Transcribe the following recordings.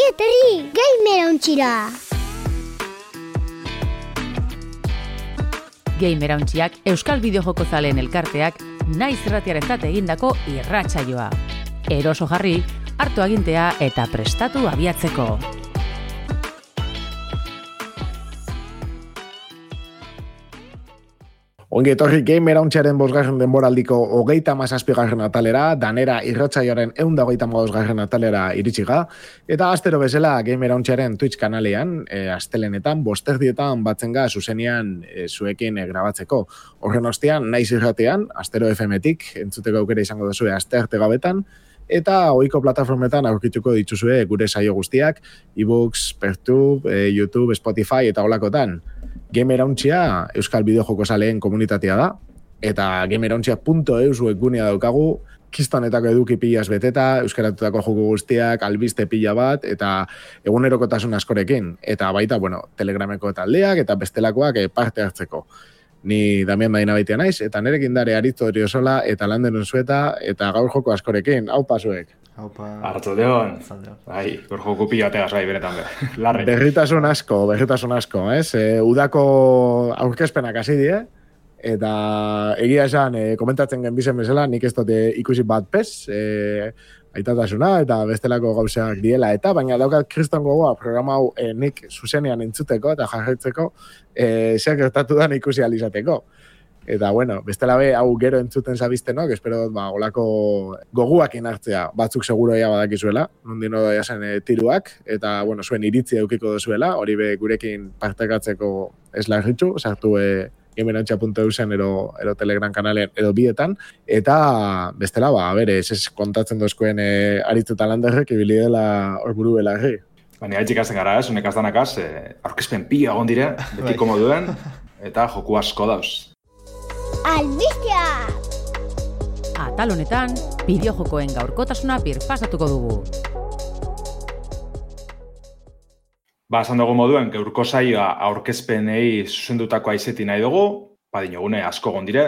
Ongi etorri, Gamerauntxira! Gamerauntxiak Euskal Bideojoko zaleen elkarteak naiz irratiarentzat egindako irratsaioa. Eroso jarri, hartu agintea eta prestatu abiatzeko. Ongi etorri Gamerauntxaren 5. denboraldiko 37. atalera, danera irratsaioaren 125. atalera iritsiga, eta astero bezala Gamerauntxaren Twitch kanalean, astelenetan, 5:00 batzen ga zuzenean zuekin grabatzeko. Horren ostean, naiz irratean, Astero FM-tik, entzuteko aukera izango duzue astearte gabetan, eta ohiko plataformetan aurkituko dituzue gure saio guztiak, ebooks, Pertube, YouTube, Spotify eta holakotan. Gamerauntxia Euskal Bideojoko zaleen komunitatea da, eta gamerauntxia.eus webgunea daukagu, kistonetako eduki pilaz beteta, euskaratutako joko guztiak, albiste pila bat, eta egunerokotasun askorekin. Eta baita, Telegrameko taldeak eta bestelakoak parte hartzeko. Ni Damian Badina baitea naiz, eta nerekin dare Aritzo Oriozola eta Landeron Zueta, eta gaur joko askorekin. Aupa zuek. Arratsaldeon. Bai, gaur joko pila bategaz bai beretan be. Larri. Berritasun asko, ez? Udako aurkezpenak hasi die, eta egia esan, komentatzen genbizen bezala, nik ez dute ikusi bat pez, aitatasuna eta bestelako gauzak diela, eta baina daukat kriston gogoa programa hau nik zuzenean entzuteko eta jarraitzeko zer gertatu da ikusi alizateko. Eta bestela be, hau gero entzuten zabiztenok, espero olako goguakin hartzea, batzuk seguro ea badakizuela, nondino daia zen tiruak, eta zuen iritzi eukiko dozuela, hori be gurekin partekatzeko ez larritxu, sartu gamerauntxia.eusen ero Telegram kanalean edo bietan, eta bestela, ez kontatzen dozkoen Aritz eta Landerrek ibili dela hor buru belarri. Baina gaitxik hasten gara, honek azdanakaz, aurkezpen pila egon dire, betiko moduen, eta joku asko dauz. Albistea! Atal honetan, bideojokoen gaurkotasuna birpasatuko dugu. Esan dugu moduen, gaurko saioa aurkezpenei zuzendutako aizeti nahi dugu, dinogune asko gondire,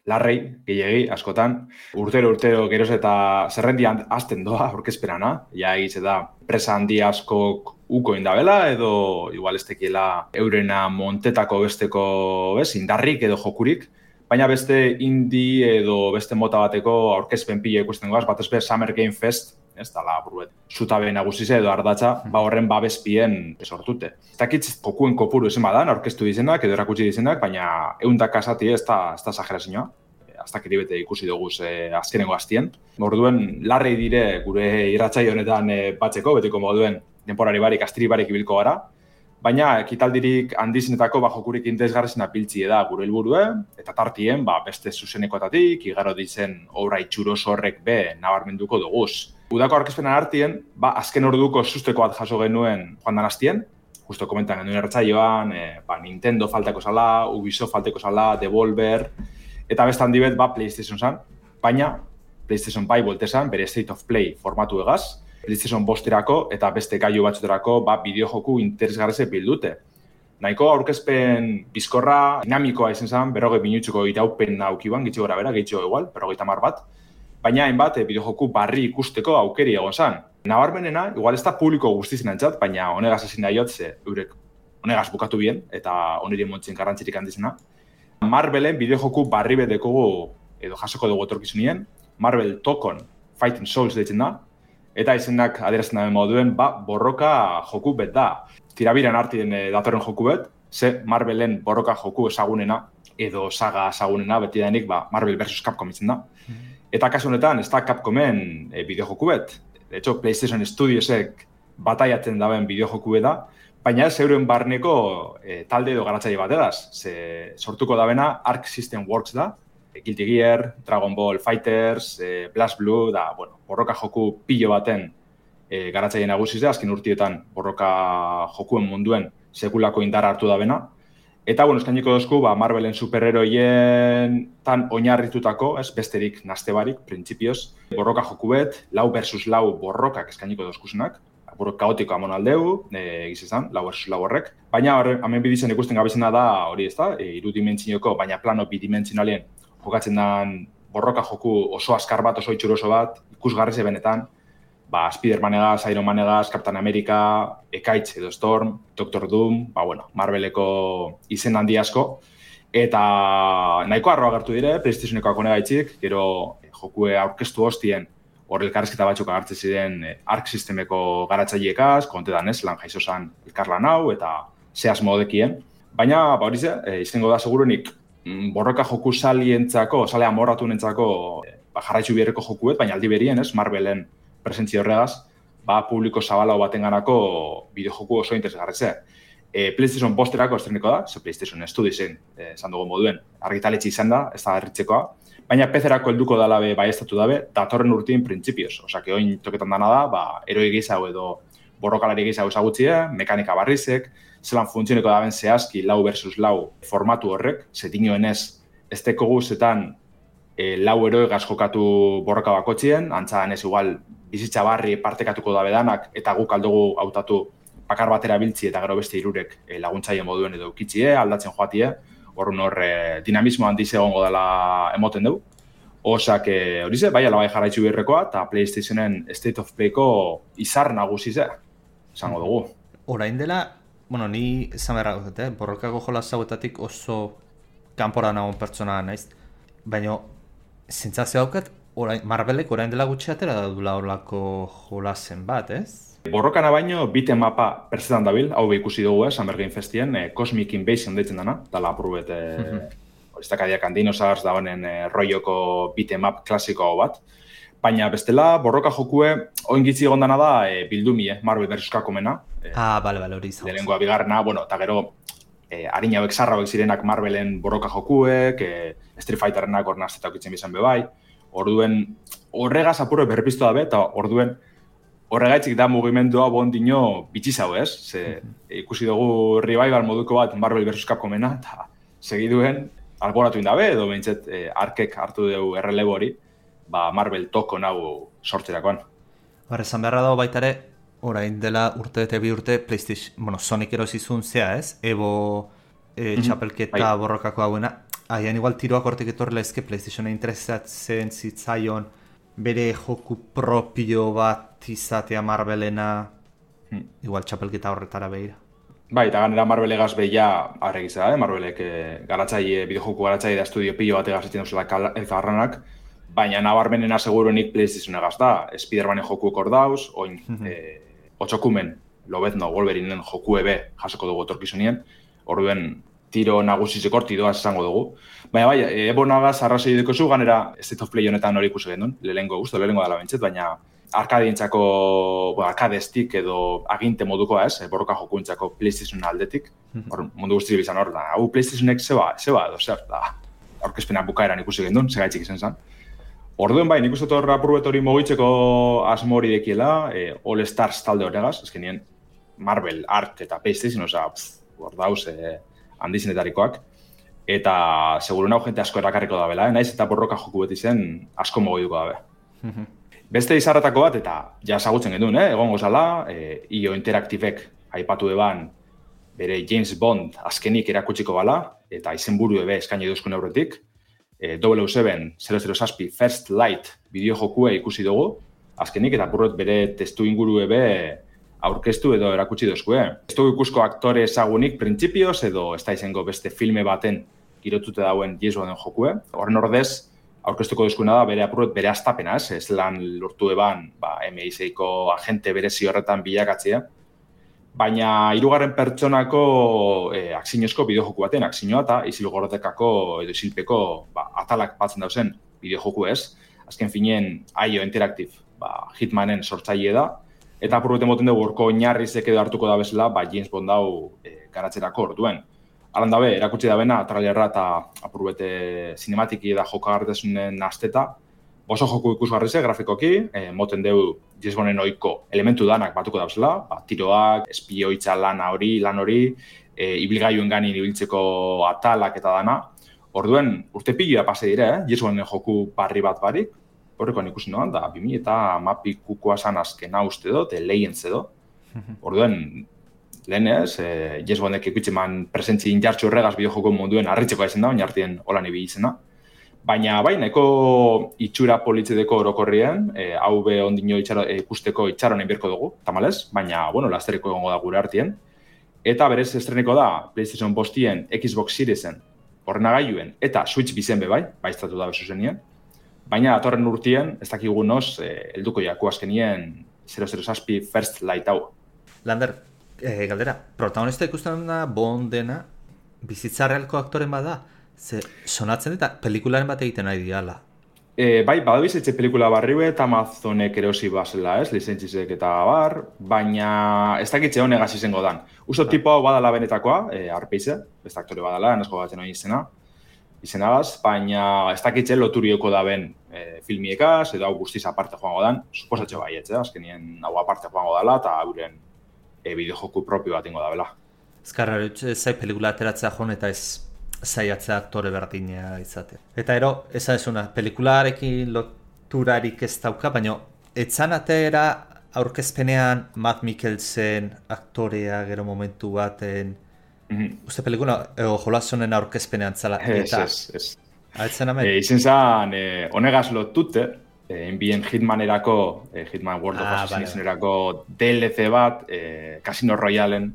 larrei, gehiegi, askotan. Urtero geroz eta zerrendian azten doa aurkezpenana, egitze da presa handi askok uko indabela, edo igual ez tekiela eurena montetako besteko indarrik edo jokurik, baina beste indie edo beste mota bateko aurkezpen pila ikusten goaz, bat ezbe Summer Game Fest, ez dala buruet, zutabe nagusize edo ardatza, horren babespien sortute. Ez dakit jokuen kopuru ezen badan, aurkeztu dizenak edo erakutsi dizenak, baina 100 kasati ez da exagerazioa. Aztak eribete ikusi dugu azkenengo hastien. Orduen, larrei dire gure irratsaio honetan batzeko, betiko moduen denporari barik, astiri barik ibilko gara, baina ekitaldirik handizinetako jokurik interesgarrizena piltzi da gure helburue, eta tartien beste zuzenekoetatik, igaro dizen obra itxuroso horrek be nabarmenduko duguz. Udako aurkezpenan artien, azken orduko susteko bat jaso genuen joan dan hastien, justo komentan genuen erratsaioan, Nintendo falteko zala, Ubisoft falteko zala, Devolver, eta beste handi bet PlayStation zan, baina PlayStation bai boltezan, bere State of Play formatu egaz, PlayStation 5 eta beste gailu batzuterako bideojoku interesgarrize bildute. Nahiko aurkezpen bizkorra, dinamikoa izan zen, 40 minutzuko iraupen aukiban, gitxo gara bera, gitxo igual, 50 bat, baina hainbat bideojoku barri ikusteko aukeri egon zen. Nabarmenena, igual ez da publiko guztizen antzat, baina honegaz ezin da jotze, eurek honegaz bukatu bien, eta oniri montzen garrantzirik handizena. Marvelen bideojoku barri bedekogu, edo jasoko dugu etorkizunien, Marvel Tokon Fighting Souls deitzen da, eta izenak adierazten daben moduen, borroka joku bet da. Tirabiran artien datorren joku bet, ze Marvelen borroka joku ezagunena, edo saga ezagunena, beti denik Marvel vs. Capcom itzen da. Eta kasu honetan, ez da Capcomen bideojoku bet. De hecho, PlayStation Studiosek bataiatzen daben bideojoku da, baina ez euren barneko talde edo garatzaile bat edaz. Sortuko dabena Arc System Works da, Guilty Gear, Dragon Ball Fighters, Blast Blue, borroka joku pilo baten garatzaile nagusiz, azken urtietan borroka jokuen munduen sekulako indarra hartu da bena. Eta, eskainiko dozku, Marvelen superheroien tan oinarritutako, besterik nastebarik, printzipioz, borroka joku bet, 4 versus 4 borrokak eskainiko dozkusenak, kaotiko amon aldeu, egizizan, 4 versus 4 horrek. Baina, hemen bidizen ikusten gabizena da, hori ez da, irudimentzioko, baina plano bidimentzinalien jokatzen den borroka joku oso azkar bat, oso itxuroso bat, ikusgarri benetan, Spider-Manegaz, Iron Manegaz, Captain America, Ekaitz edo Storm, Doctor Doom, Marveleko izen handi asko, eta nahiko arroa gertu dire, PlayStationeko akonegaitzik, gero jokue aurkeztu hostien, hor elkarrezketa batzuk agertzen ziren Arc Systemeko garatzaileekaz, kontetan ez, lan jaizo zan elkarlan hau, eta zehaz modekien. Baina, hori ze, izango da segurunik, borroka joku salientzako, sale amorratu nentzako, jarraitzu bierreko jokuet, baina aldi berien, ez, Marvelen presentzia horregaz, publiko zabalau batenganako bideojoku oso interesgarretze. PlayStation posterako estreniko da, PlayStation Studiosen, esan dugu moduen, argitaletxe izan da, ez da erritzekoa, baina PC-erako helduko dala baiestatu dabe, datorren urtien printzipioz. Osake, oin toketan dana da, eroi gizau edo borrokalari gizau ezagutzie, mekanika barrizek, zelan funtzioneko daben zehazki lau versus lau formatu horrek, zetinoen ez teko guzetan lau eroegaz jokatu borroka bakotzien, antza ez igual bizitza barri partekatuko dabe danak, eta guk aldugu hautatu bakar batera biltzi eta gero beste hirurek laguntzaile moduen edo ukitzie, aldatzen joatie, horren dinamismo handiz egongo dela emoten dugu. Osak, hori ze, bai alabai jarraitzu birrekoa, eta PlayStationen State of Playko izar nagusize, esango dugu. Orain dela, ni esan beharra gozat, borrokako jolas hauetatik oso kanpora nagoen pertsona naiz, baina zentzazio haukat, Marvelek orain dela gutxi atera da dula horlako jolasen bat, ez? Borrokana baino, biten mapa pertzetan dabil, hau ikusi dugu, Summer Game Festien, Cosmic Invasion deitzen dana, dala apurubet, iztakadiak Dinosaurs da honen roioko biten map klasiko bat. Baina bestela, borroka jokue, oingitzi egondana da bildumi, Marvel vs. Capcomena. Bale, hori izan. Lehenengoa bigarrena, eta gero, harina hauek zarra hauek zirenak Marvelen borroka jokuek, Street Fighterrenak hor nazeta okitzen bizan bebai. Orduen, horregaz apurre berpiztu dabe, eta orduen, horregaitzik da mugimendua bondino bitxizau, ez? Ikusi dugu revival moduko bat Marvel vs. Capcomena, eta segiduen alboratu indabe, edo behintzet arkek hartu dugu errelebo hori, Marvel toko nahu sortzerakoan. Esan beharra dago baita ere, orain dela urte eta bi urte PlayStation, Sonic erosizun zea, ez? Evo txapelketa borrokako hauena. Agian igual tiroak hortik etorrela ezke PlayStation interesatzen zitzaion bere joku propio bat izatea Marvelena, igual txapelketa horretara behira. Eta ganera Marvelegaz behia arregiza, Marvelek bideojoku garatzaile da estudio pilo bat egazetzen duzela elkarranak, baina nabarmenena seguruenik PlayStationegaz da, Spider-Manen jokuek hor dauz, oin otxokumen, Lobezno, Wolverinen joku ebe jasoko dugu etorkizunien, orduen tiro nagusizeko hortidoaz esango dugu. Baina ebonagaz arrazoi dukozu, ganera State of Play honetan hori ikusi gendun, lehengo dela bentzet, baina arkadientzako, arkadestik edo aginte modukoa ez, borroka jokuentzako PlayStation aldetik, mundu guztiak bizan hor, hau PlayStationek zeba edo zer, aurkezpenak bukaeran ikusi gendun, segaitzik izan zen. Orduen bai, nik uste torra apurbet hori mogitzeko asmo hori dekiela, All Stars talde horregaz, ezkenien Marvel, Arc eta PlayStation, hor dauz handizenetarikoak, eta seguru nahu jente asko erakarriko da bela, naiz eta borroka joku beti zen asko mogituko dabe. Beste izarretako bat, eta ja ezagutzen gendun, egongo zala, IO Interactivek aipatu eban bere James Bond azkenik erakutsiko bala, eta izenburu ebe eskaini duzkun aurretik, 007 First Light bideojokue ikusi dugu, azkenik eta burret bere testu inguru ebe aurkeztu edo erakutsi dozkue. Ez dugu ikusko aktore ezagunik printzipioz edo ez da izango beste filme baten girotute dauen James Bonden jokue. Horren ordez, aurkeztuko duzkuena da bere apurret bere astapena, ez lan lortu eban MI6ko agente berezi horretan bilakatzea. Baina hirugarren pertsonako akzinozko bideojoku baten, akzinoa eta isilgordekako edo isilpeko atalak batzen dauzen bideojoku ez. Azken fineen IO Interactive Hitmanen sortzaile da. Eta apurruten moten dugu urko oinarrizek edo hartuko da bezala, James Bond dau garatzerako orduen. Alan dabe, erakutsi da bena, trailerra eta apurrete sinematiki da jokagartasunen asteta. Oso joku ikusgarrize, grafikoki, moten dugu James Bonden oiko elementu danak batuko da bezala, tiroak, espioitza lan hori, ibilgailuen ganin ibiltzeko atalak eta dana. Orduen, urte piloa pase dire, James Bonden joku barri bat barik, horrekoan ikusi noan, da 2000 eta mapikukoa zan azkena uste do, lehien zedo. Orduen, lehen ez, James Bondek ikutzen presentzi injartxu horregaz bideojoko munduen harritzeko izan da, oinartien holan ibili izena. Baina bai, nahiko itxura politzedeko orokorrien, hau be ondino ikusteko itxaronen birko dugu, tamalez, baina, bueno, lastereko egongo da gure artien. Eta berez estreneko da PlayStation 5-ien, Xbox Seriesen, ordenagailuen eta Switch bizen be bai, baiztatu da bezu zenien. Baina datorren urtien, ez dakigu noz, helduko jaku azkenien 007 First Light hau. Lander, galdera, protagonista ikusten da Bondena, bizitza realko aktoren bada, ze sonatzen eta pelikularen bat egiten nahi diala. Bai, badabiz etxe pelikula barriue eta Amazonek erosi bazela, lizentzisek eta bar, baina ez dakitze honegaz izango dan. Usto tipo hau badala benetakoa, Arpeize, beste aktore badala, enesko batzen hori izenagaz, baina ez dakitze loturioko da ben filmiekaz, edo hau guztiz aparte joango dan, suposatxe baietz, azkenien hau aparte joango dela, eta hauren bideojoku propio bat ingo da bela. Ezkarra, zai pelikula ateratzea joan eta ez zaiatzea aktore berdina izate. Eta ero, ezazuna, pelikularekin loturarik ez dauka, baina etzan atera aurkezpenean Matt Mikkelsen aktorea gero momentu baten, uste pelikula, jolazonen aurkezpenean zala. Ez. Altzen amen? Izen zan, honegaz lotute, enbien Hitmanerako, Hitman World of Assassinationerako DLC bat, Casino Royalen,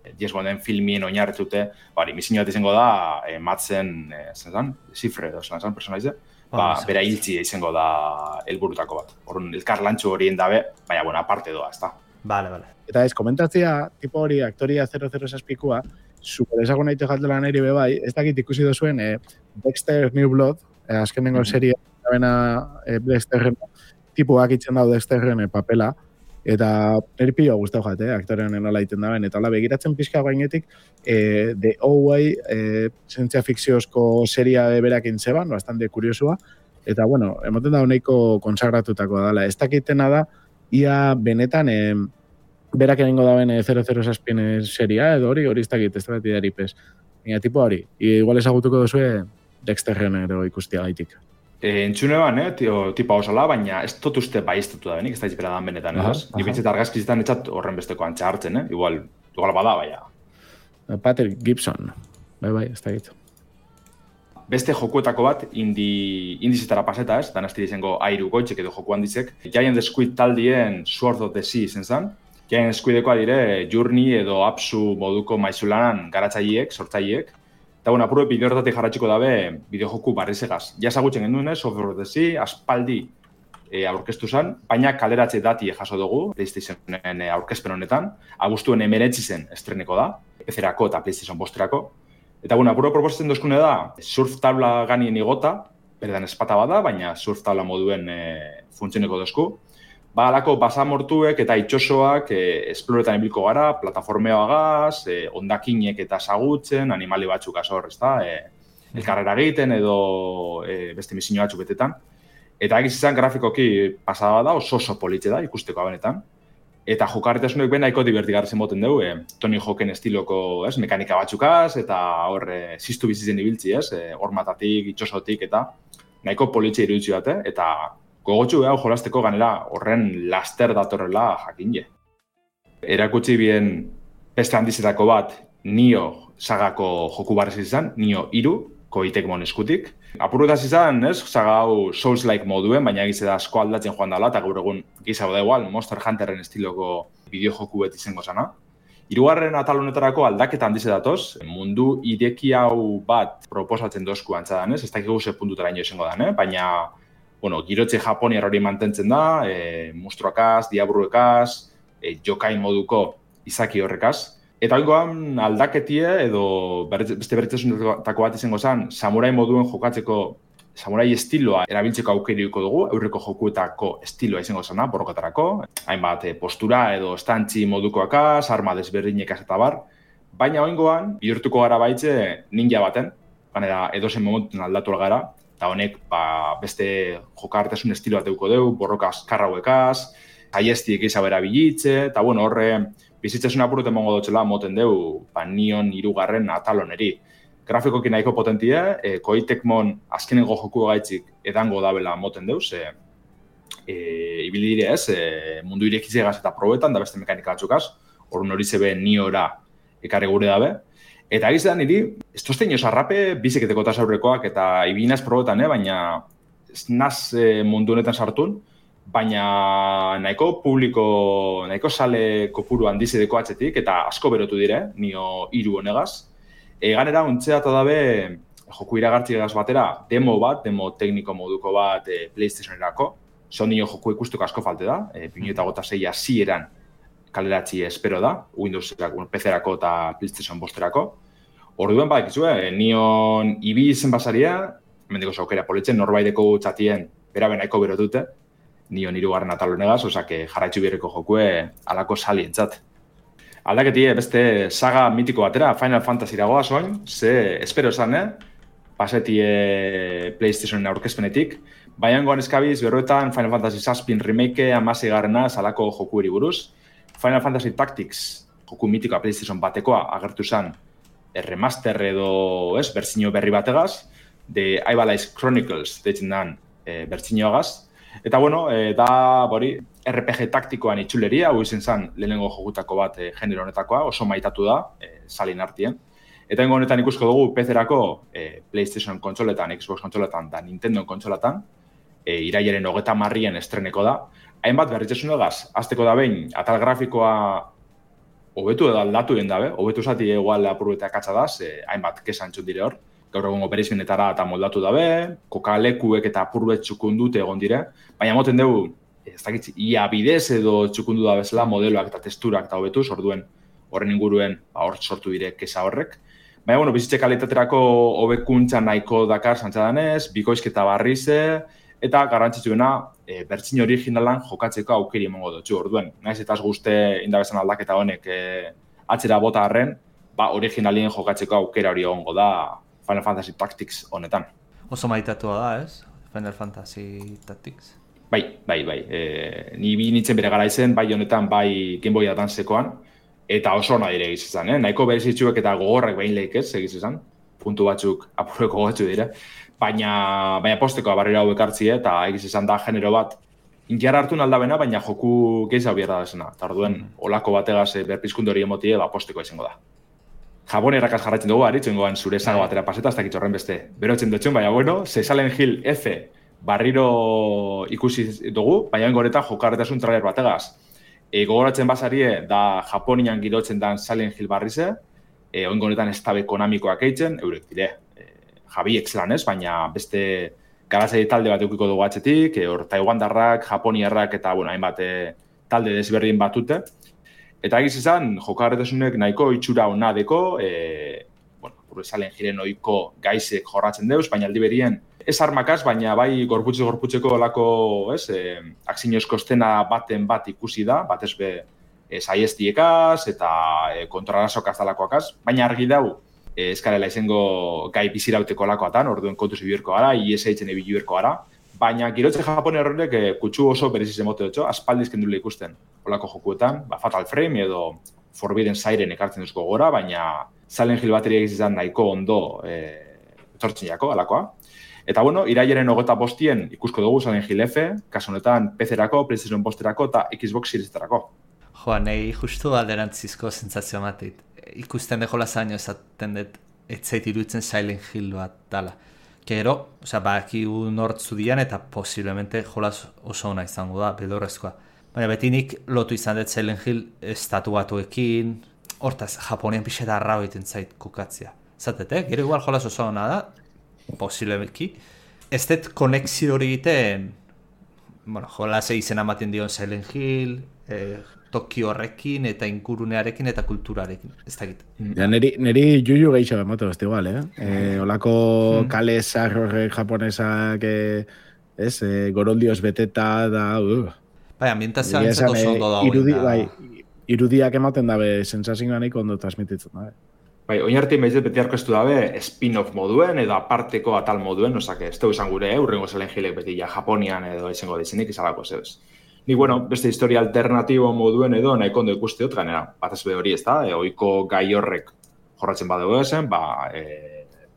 James Bonden filmien oinarretute, misinio bat izango da, matzen, zifre, personaize, bera hiltzi izango da helburutako bat. Horren, elkar lantxu horien dabe, baina, bueno, aparte doa, ez da. Vale. Eta ez, komentatzea, tipo hori, aktoria 007-koa, super ezagun nahi jatela neri bebai, ez dakit ikusi dozuen Dexter New Blood, azkenengo serie, Dexterren, tipuak itzen dau Dexterren papela, eta niri pilo guztau jate, aktorean nola iten daben, eta hola begiratzen pixka gainetik, The Oway, zientzia fikziozko seria berakin zeban, bastante kuriosua, eta bueno, emoten da honeiko konsagratutako dala. Ez dakitena da, ia benetan, berak egingo daben 007 seria, edo hori ez dakit, ez dakit daripez. Baina tipo hori, igual ezagutuko duzue Dexterren ero ikustia gaitik. Entzune ban, tipa osala, baina ez dut uste baiztatu da benik, ez da izpera dan benetan, ez? Ni bintzeta argazkizitan etxat horren besteko antxa hartzen, igual bada, baina. Patrick Gibson, bai, ez da gitu. Beste jokuetako bat, indizetara paseta, ez? Dan aztiri izango airu goitxek edo joku handizek. Giant Squid taldien Sword of the Sea izen zen. Giant Squidekoa dire Journey edo Apsu moduko maizulanan garatzaileek, sortzaileek. Eta bueno, apurue bideo hortatik jarratxiko dabe bideojoku barrizegaz. Ja ezagutzen genduen, Sword of the Sea, aspaldi aurkeztu zen, baina kaleratze dati jaso dugu, PlayStationen aurkezpen honetan. Abuztuen 19 zen estreneko da, PC-erako eta PlayStation 5-erako. Eta bueno, apurue proposatzen dozkune da, surf tabla ganien igota, berdan espata bada, baina surf tabla moduen funtzioneko dozku. Alako basamortuek eta itxosoak esploretan ibilko gara, plataformeoagaz, ondakinek eta sagutzen, animali batzuk azor, ez da, elkarrera egiten edo beste misinio batzuk betetan. Eta egiz izan grafikoki pasada da, oso politxe da, ikusteko abenetan. Eta jokarretasunek ben nahiko divertigarrezen boten dugu, Tony Hawken estiloko mekanika batzukaz, eta hor ziztu bizitzen ibiltzi, hormatatik, itxosotik, eta nahiko politxe iruditzi bat, eta gogotxu hau jolasteko ganera horren laster datorrela jakinje. Erakutsi bien beste handizetako bat Nio sagako joku barrez izan, Nio 3, Koitekmon eskutik. Apurretaz izan, saga hau Souls-like moduen, baina egize da asko aldatzen joan dela, eta gaur egun giza da igual, Monster Hunterren estiloko bideojoku beti izango zana. Hirugarren atal honetarako aldaketa handize datoz, mundu ireki hau bat proposatzen dozku antzadan, ez dakigu ze puntutara ino izango dan, baina girotze japoniar hori mantentzen da, monstruakaz, diabruekaz, jokain moduko izaki horrekaz. Eta oingoan aldaketie edo beste berritzasunetako bat izango zen, samurai moduen jokatzeko, samurai estiloa erabiltzeko aukeriko dugu, aurreko jokuetako estiloa izango zena, borrokatarako, hainbat postura edo estantzi modukoakaz, arma desberdinekaz eta bar, baina oingoan bihurtuko gara baitze ninja baten, ganera edozen momentun aldatu gara, eta honek beste jokartasun estiloa deuko deu, borrokaz karrauekaz, aiestiek izabera bilitze, eta horre bizitzasun apuruten mongo dutxela moten deu Nion 3 ataloneri. Grafikoki nahiko potentie, Koitekmon azkenengo joku gaitzik edango dabela moten deu, ze ibili dire mundu irekitzegaz eta probetan, da beste mekanika batzukaz, horren hori zebe Niora ekarri gure dabe. Eta egizan niri, ez tozten sarrape, biziketeko tasaurrekoak eta ibinaz probetan, baina ez naz mundu honetan sartun, baina nahiko publiko, nahiko sale kopuru handizideko atzetik, eta asko berotu dire, nio 3 honegaz. Ganera, ontzea eta dabe, joku iragartzigaz batera, demo tekniko moduko bat PlayStationerako. Nio joku ikustuko asko falte da, 2006 hasieran kaleratzi espero da, Windows-erako, PC-erako eta PlayStation 5-erako. Orduan badakizue, nion ibi izen basaria, mendiko saukera politzen, norbaideko txatien bera benaiko berotute, nion 3. atal honegaz, osake jarraitzu birreko jokue alako salientzat. Aldaketie beste saga mitiko batera, Final Fantasy ragoa soin, ze espero esan, pasetie PlayStationen aurkezpenetik, baiangoan eskabiz berroetan Final Fantasy VII remake 16 salako jokueri buruz, Final Fantasy Tactics, joku mitikoa PlayStation batekoa agertu zen remaster edo bertsio berri bategaz, de Ivalice Chronicles deitzen dan bertsioagaz. Eta bueno, da RPG taktikoan itxuleria, hau izen zen lehenengo jokutako bat genero honetakoa, oso maitatu da, salin artien. Eta honetan ikusko dugu PC-erako PlayStation kontsoletan, Xbox kontsoletan da Nintendo kontsoletan, irailaren 30 estreneko da. Hainbat berritzesunegaz, azteko da behin, atal grafikoa hobetu edo aldatu den dabe, hobetu zati egual apurbeta katsa da, hainbat kesan txut dire hor. Gaur egungo bereizmenetara eta moldatu dabe, kokalekuek eta apurbet txukundute egon dire, baina moten dugu, ez dakitzi, ia bidez edo txukundu da bezala modeloak eta testurak eta hobetuz, orduen horren inguruen hor sortu dire kesa horrek. Baina, bueno, bizitze kalitaterako hobekuntza nahiko dakar zantzadanez, bikoizketa barrize, eta garrantzitsuena bertsio originalan jokatzeko aukeri emango dutxu. Orduen, naiz eta ez guzte indabezan aldaketa honek atzera bota harren, originalien jokatzeko aukera hori egongo da Final Fantasy Tactics honetan. Oso maitatua da, ez? Final Fantasy Tactics? Bai. Ni bi nintzen bere gara izen, bai honetan, bai Game Boy Advancekoan, eta oso ona dire egiz izan, Nahiko berezitzuek eta gogorrak behin lehik ez, egiz izan. Puntu batzuk apurreko gotzu dire. Baina posteko barrera hauek hartzi eta egiz izan da genero bat inkiara hartu naldabena, baina joku gehiago bierda desena. Eta orduen, olako bategaz berpizkundu hori emotie, posteko izango da. Japonerakaz jarraitzen dugu, aritzen goan zure zago batera paseta, ez dakit horren beste berotzen dutxun, baina bueno, Silent Hill F barriro ikusi dugu, baina horretan jokarretasun trailer bategaz. Gogoratzen basarie, da Japonian girotzen dan Silent Hill barrize, honetan ez tabe konamikoak eitzen, eurek dire, Javi Exlanez, baina beste garazai talde bat eukiko dugu atzetik, hor Taiwandarrak, Japoniarrak eta hainbat talde desberdin batute. Eta egiz izan, jokarretasunek nahiko itxura hona deko, Silent Hillen ohiko gaizek jorratzen deuz, baina aldi berien ez armakaz, baina bai gorputzeko olako, akzinozko estena baten bat ikusi da, batez be saiestiekaz eta kontrarazokaz dalakoakaz, baina argi dau, eskarela izango gai bizirauteko olakoatan, orduen kontuz ibirko gara, IS-eitzen ibirko gara, baina girotze Japone horrek kutsu oso bereziz emote dutxo, aspaldizken dule ikusten olako jokuetan, Fatal Frame edo Forbidden Siren ekartzen duzko gora, baina Silent Hill bateria izan nahiko ondo etortzen jako, alakoa. Eta bueno, irailaren 25 ikusko dugu Silent Hill F, kasu honetan PC-erako, PlayStation 5-erako eta Xbox Series-erako. Nahi justu alderantzizko sentsazio matit. Ikusten dejola zaino esaten dut etzait iruditzen Silent Hill bat dala. Gero, bakigu nortzu dian eta posiblemente jolaz oso ona izango da, bedorrezkoa. Baina beti nik lotu izan dut Silent Hill estatu batuekin, hortaz, Japonian pixet arrao egiten zait kokatzea. Zatet, gero igual jolaz oso ona da, posiblemeki. Ez dut konexio hori egiten, jolaz izena ematen dion Silent Hill, Tokio horrekin eta ingurunearekin eta kulturarekin, ez dakit. Ja, neri juju gehiago ematen beste igual, Olako kale zarrorrek japonesak, goroldioz beteta da, Bai, ambientazioa entzat oso ondo dagoen. Irudiak ematen dabe, sensazioa nahiko ondo transmititzen dabe. Bai, oin hartin behiz beti arkeztu dabe, spin-off moduen edo aparteko atal moduen, osake, ez izan gure, urrengo Silent Hillek beti ja Japonian edo izango dizenik izalako zebez. Ni, beste historia alternatibo moduen edo nahiko ondo ikuste dut ganera. Batez be hori ez da, oiko gai horrek jorratzen badugu ezen,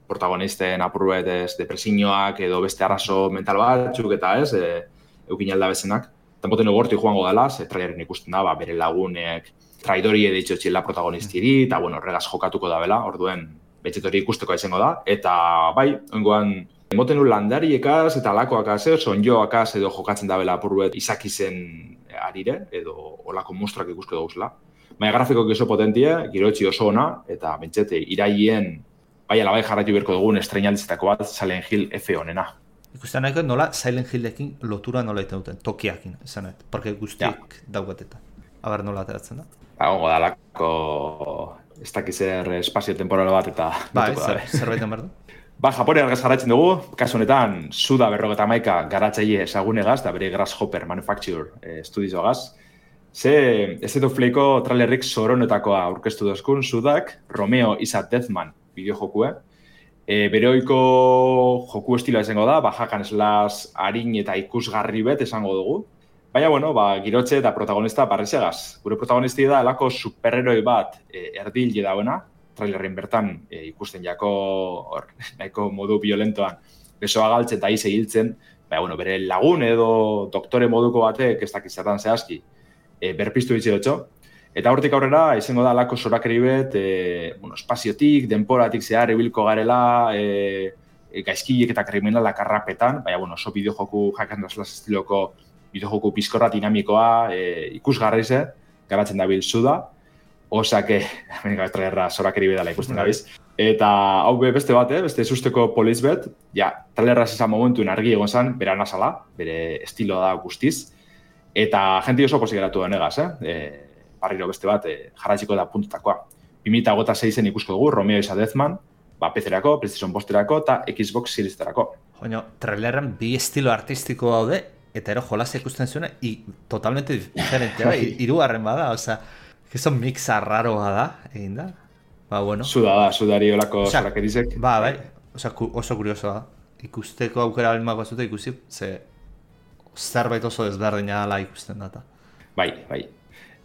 protagonisten apurruet depresioak edo beste arrazo mental batzuk eta eukin alda bezenak. Tampoten egorti joango dela, traileren ikusten da, bere lagunek traidori edeitxo txila protagonistiri, eta bueno, horregaz jokatuko da bela, orduen betxetori ikusteko izango da, eta bai, oingoan, emoten landariekaz eta alakoakaz, sonjoakaz edo jokatzen da bela apurruet izakizen arire, edo olako monstruak ikusko dauzela. Baina grafikoak oso potentie, giroetxi oso ona, eta bentsete, iraien, bai alabai jarraitu berko dugun estreinaldizetako bat Silent Hill F honena. Ikusten nahiko nola Silent Hillekin lotura nola iten duten, tokiakin, esan nahi, porque guztiak daugatetan. Aber nola ateratzen da? Gongo dalako, ez dakizer espazio temporal bat eta... Ba, zerbaiten behar du? Ba, Japone argaz jarraitzen dugu, kasu honetan, Suda 51 garatzaile ezagunegaz, da bere Grasshopper Manufacture Studiosogaz. Ze, ez edo fleiko trailerrik zoronetakoa aurkeztu dozkun, Sudak, Romeo is a Deathman bideojokue. Bere oiko joku estiloa izango da, hakan slash harin eta ikusgarri bet esango dugu. Baina, bueno, girotxe eta protagonista barrizegaz. Gure protagonisti da, elako superheroi bat erdil dauena, trailerren bertan ikusten jako nahiko modu violentoan besoa galtzen eta ize hiltzen, baina, bueno, bere lagun edo doktore moduko batek ez dakizatan zehazki berpiztu ditxerotxo. Eta hortik aurrera, izango da alako zorakeri bet, espaziotik, denporatik zehar ibilko garela, gaizkilek eta kriminalak arrapetan, baina, bueno, oso bideojoku hakan slash estiloko bideojoku pizkorra dinamikoa ikusgarrize, garatzen dabil Suda, osake, trailerra zorakeri bedala ikusten gabiz. Eta hau beste bat, beste susteko poliz bet, ja, trailerra zizan momentuen argi egon zen, bera nazala, bere estilo da guztiz, eta jenti oso posik geratu denegaz, barriro beste bat, jarratxiko da puntutakoa. 2026en ikusko dugu, Romeo is a Deathman, PC-erako, PlayStation Posterako eta Xbox Series-erako. Joño, trailerren bi estilo artistiko daude, eta ero jolaz ikusten zuena, totalmente diferentea, irugarren bada, osea, eso mixa raroa da, egin da. Ba, bueno. Sudari olako zorakerizek. Ba, bai, osea, oso kuriosoa da. Ikusteko aukera balmako zute ikusi, ze zerbait oso desberdina dela ikusten data. Bai.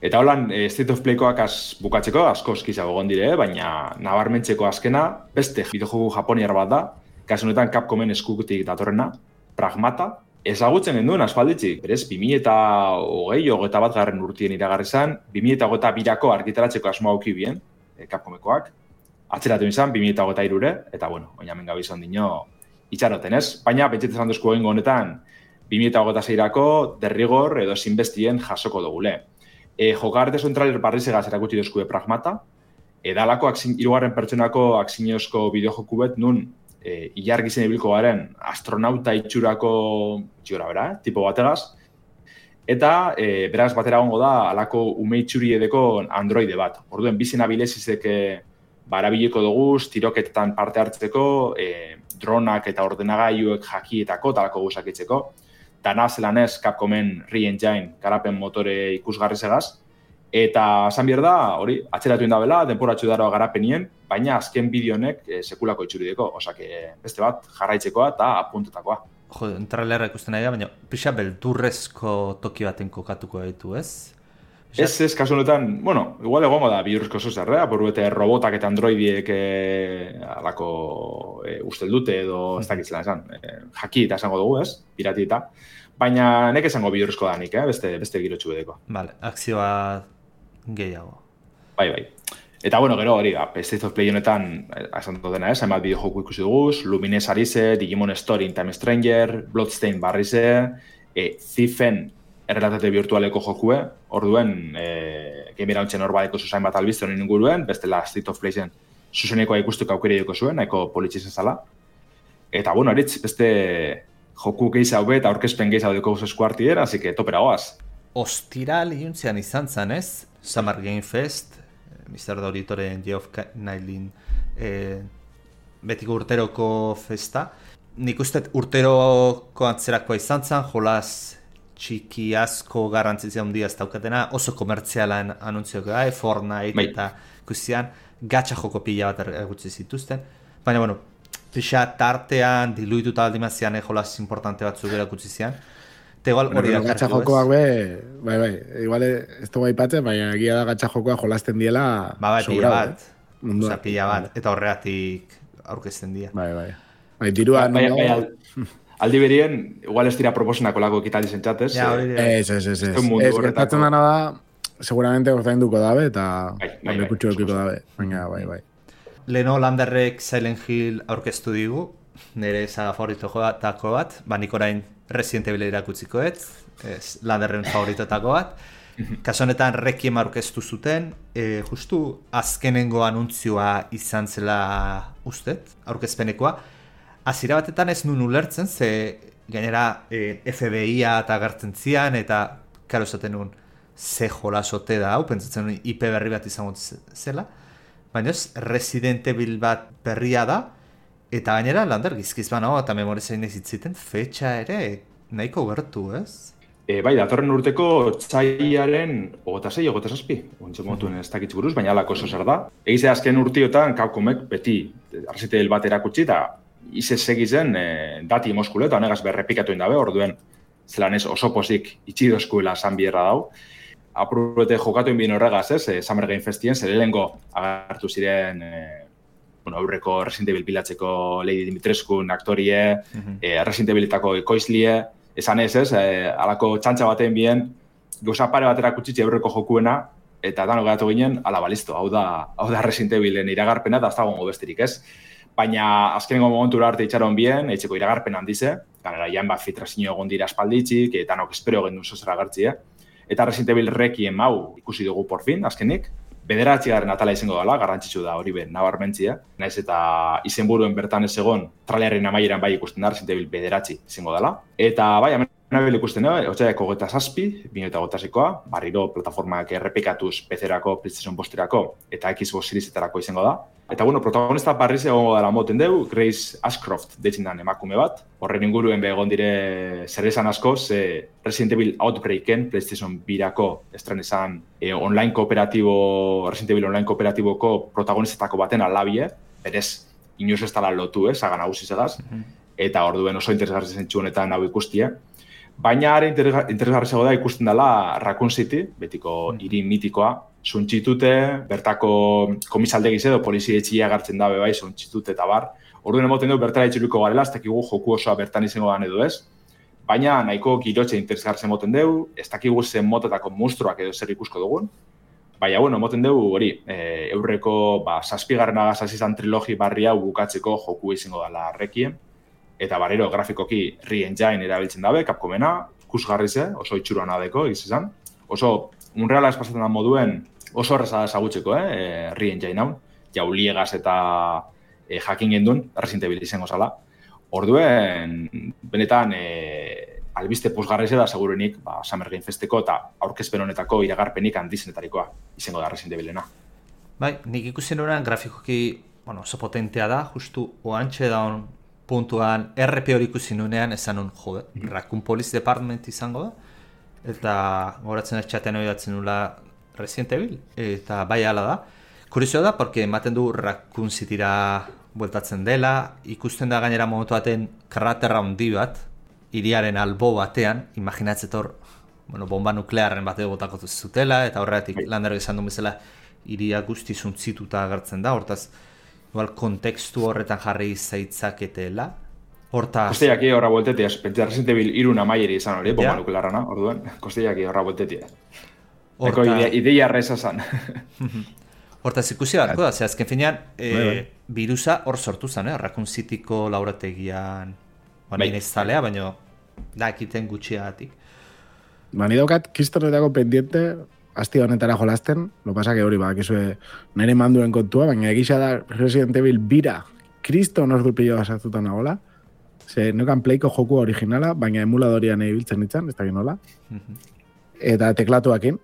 Eta holan, State of Playkoak bukatzeko, asko eskizago gondire, baina nabarmentzeko azkena, beste bideojoku japoniar bat da, kasu honetan Capcomen eskutik datorrena, Pragmata. Ezagutzen genduen aspalditzik, berez, 2020 bat garren urtien iragarri zan, 2022ko argitaratzeko asmoa auki bien, Capcomekoak, atzeratu izan 2023-re, eta bueno, oinamen gabizon dino itxaroten ez, baina pentsetzen zan duzko egingo honetan 2026-rako derrigor edo zinbestien jasoko dugule. Jokarte zuen trailer barrizegaz erakutsi duzkue Pragmata, edalako hirugarren pertsonako akziniozko bideojoku bet nun ilargizen ibilko garen astronauta itxurako tipo bategaz, eta beraz batera gongo da alako ume itxuri edeko androide bat. Orduen, bizena bilezizek barabileko dugu, tiroketetan parte hartzeko, dronak eta ordenagailuek jakietako, talako gusakitzeko, dana zelanez Capcomen Re-Engine garapen motore ikusgarri segaz, eta esan behar da, hori, atzeratu indabela, denporatxo daroa garapenien, baina azken bideonek sekulako itxurideko, osake beste bat jarraitzekoa eta apuntetakoa. Jo, trailerra ikusten nahi da, baina pixa beldurrezko toki baten kokatuko ditu, ez? Ez, kasu honetan, bueno, igual egongo da bihurrezko zuzerrea, porruete robotak eta androidiek alako ustel dute edo ez dakitzela esan, jaki eta esango dugu, ez? Pirati eta. Baina nek esango bihurrezko danik, beste girotxu bedeko. Vale, akzioa gehiago. Bai. Eta, bueno, gero hori, State of Play honetan, esan dena, hainbat bideojoku ikusi duguz, Lumines Arise, Digimon Story in Time Stranger, Bloodstain barrize, Thiefen errealitate virtualeko jokue, orduen, gamera hontzen hor badeko zuzain bat albizte honen inguruen, bestela State of Playen zuzenekoa ikusteko aukera duko zuen, nahiko politxizan zala. Eta, bueno, eritz, beste joku gehiago eta aurkezpen gehiago duko eskuartier, así que topera goaz. Ostiral iuntzean izan zen, ez? Summer Game Fest, Mr. Doritoren Geoff Nailin betiko urteroko festa. Nik uste urteroko antzerakoa izan zen, jolaz txiki asko garrantzizia handia ez daukatena, oso komertzialan anuntzioak da, Fortnite eta ikusian, gatxa joko pila bat egutzi zituzten. Baina, bueno, pixa tartean, diluituta aldimazian jolaz importante batzuk erakutsi zian. Eta igual hori da. Gatxa jokoak bai, igual ez dugu aipatzen, baina egia da gatxa jokoak jolasten diela pila bat. Osa, pila bat. Eta horregatik aurkezten dira. Bai. Dirua aldi berien, igual ez dira proposenako lako ekitaldi zentzatez. Ja, hori dira. Ez, gertatzen dana da, seguramente ordainduko dabe, eta lekutxo ekiko dabe. Baina, bai. Leno Landerrek Silent Hill aurkeztu digu, nire saga favoritoetako bat, nik orain Resident Evil irakutzikoet, Landerren favoritotako bat. Kaso honetan Requiem aurkeztu zuten, justu azkenengo anuntzioa izan zela ustet, aurkezpenekoa. Hasiera batetan ez nun ulertzen, ze gainera FBI-a eta agertzen zian, eta karo esaten nun ze jolasote da hau, pentsatzen nun IP berri bat izango zela. Baina ez, Resident Evil bat berria da, eta gainera Lander gizkiz banago eta memorizain ez itziten, fetxa ere nahiko gertu, ez? Bai, datorren urteko txaiaren 26-27, ontsen motuen ez dakitz buruz, baina alako oso zer da. Egize azken urtiotan Capcomek beti Resident Evil bat erakutsi, eta izez segizen dati moskule, eta honegaz berrepikatu indabe, orduen zelan ez oso pozik itxidozkuela san bierra dau. Apurrete jokatu inbien horregaz, Summer Game Festien, zer helengo agartu ziren aurreko Resident Evil bilatzeko Lady Dimitrescu aktorie, Resident Evilitako ekoizlie, esan ez, alako txantxa baten bien, gauza pare batera kutsitxe aurreko jokuena, eta dano gehatu ginen, ala balisto, hau da Resident Evilen iragarpena, eta ez da gongo besterik ez. Baina azkenengo momentura arte itxaron bien, etxeko iragarpen handize, ganera jan bat filtrazio egon dira espalditxik, eta nok espero gendu zozera gertzi, Eta Resident Evil Requiem hau ikusi dugu por fin, azkenik, 9. atala izango dela, garrantzitsu da hori nabarmentzia, naiz eta izenburuen bertan ez egon, trailerren amaieran bai ikusten da, Resident Evil 9 izango dela. Eta bai, hemen ikusten da, otxaiako 27, 2026koa, barriro plataformak errepikatuz PC-erako, PlayStation posterako eta Xbox Seriesetarako izango da. Eta protagonista barriz egongo dela moten dugu, Grace Ashcroft deitzen den emakume bat. Horren inguruen egon dire zer esan asko, ze Resident Evil Outbreaken, PlayStation 2-ako estren izan online kooperatibo, Resident Evil online kooperatiboko protagonistetako baten alabie, berez inoz ez dala lotu, saga nagusi segaz, eta orduen oso interesgarri zentsu honetan hau ikustia. Baina are interesgarri da ikusten dela Raccoon City, betiko hiri mitikoa, suntxitute, bertako komisaldegiz edo polizietxia gartzen dabe bai, suntxitute eta bar. Orduen emoten dugu bertara itxuruko garela, ez dakigu joku osoa bertan izango dan edo ez. Baina nahiko girotxe interesgartzen emoten dugu, ez dakigu zen motetako monstruak edo zer ikusko dugun. Baina, emoten dugu hori, eurreko 7. agaz izan trilogi barria bukatzeko joku izango dela Requiem. Eta barriro grafikoki Re-Engine erabiltzen dabe, Capcomena, ikusgarri ze, oso itxuruan adeko, izan. Oso, unreala espazatzen da moduen, oso horreza da ezagutzeko, Re-Engine hau. Jauliegaz eta jakin gendun, Resident Evil izango zala. Orduen, benetan, albiste pozgarri ze da, segurenik, Summer Game Festeko eta aurkezpen honetako iragarpenik handizenetarikoa izango da Resident Evilena. Bai, nik ikusten horrean grafikoki, oso potentea da, justu oantxe daun puntuan RP hori ikusi nunean esan nun, Raccoon Police Department izango da, eta goratzen etxatean hori datzen nula Resident Evil, eta bai ala da. Kurizioa da, porque ematen du Raccoon Cityra bueltatzen dela, ikusten da gainera momentu baten kraterra handi bat, hiriaren albo batean, imaginatzetor, bomba nuklearren bateo botako zutela, eta horregatik Landerrek esan duen bezala hiria guzti zuntzituta agertzen da, hortaz, igual, kontekstu horretan jarri zaitzaketela. Kosteiaki horra bueltetia, pentsa Resident Evil 3 amaieri izan hori, bomba nuklearrana, orduen, kosteiaki horra bueltetia. Eko ideia reza zan. Hortaz ikusi beharko da, ze azken finean, virusa hor sortu zen, Raccoon Cityko laurategian, nire zalea, baina da ekiten gutxiagatik. Ni daukat, kistonetako pendiente, asti honetara jolasten, lo pasa que hori bakizue nire manduen kontua, baina egisa da Resident Evil bira, kriston ordu pillo basatutan nagola, ze neukan Playko joku originala, baina emuladorian ibiltzen nintzen, ez da ginola, eta teklatuakin,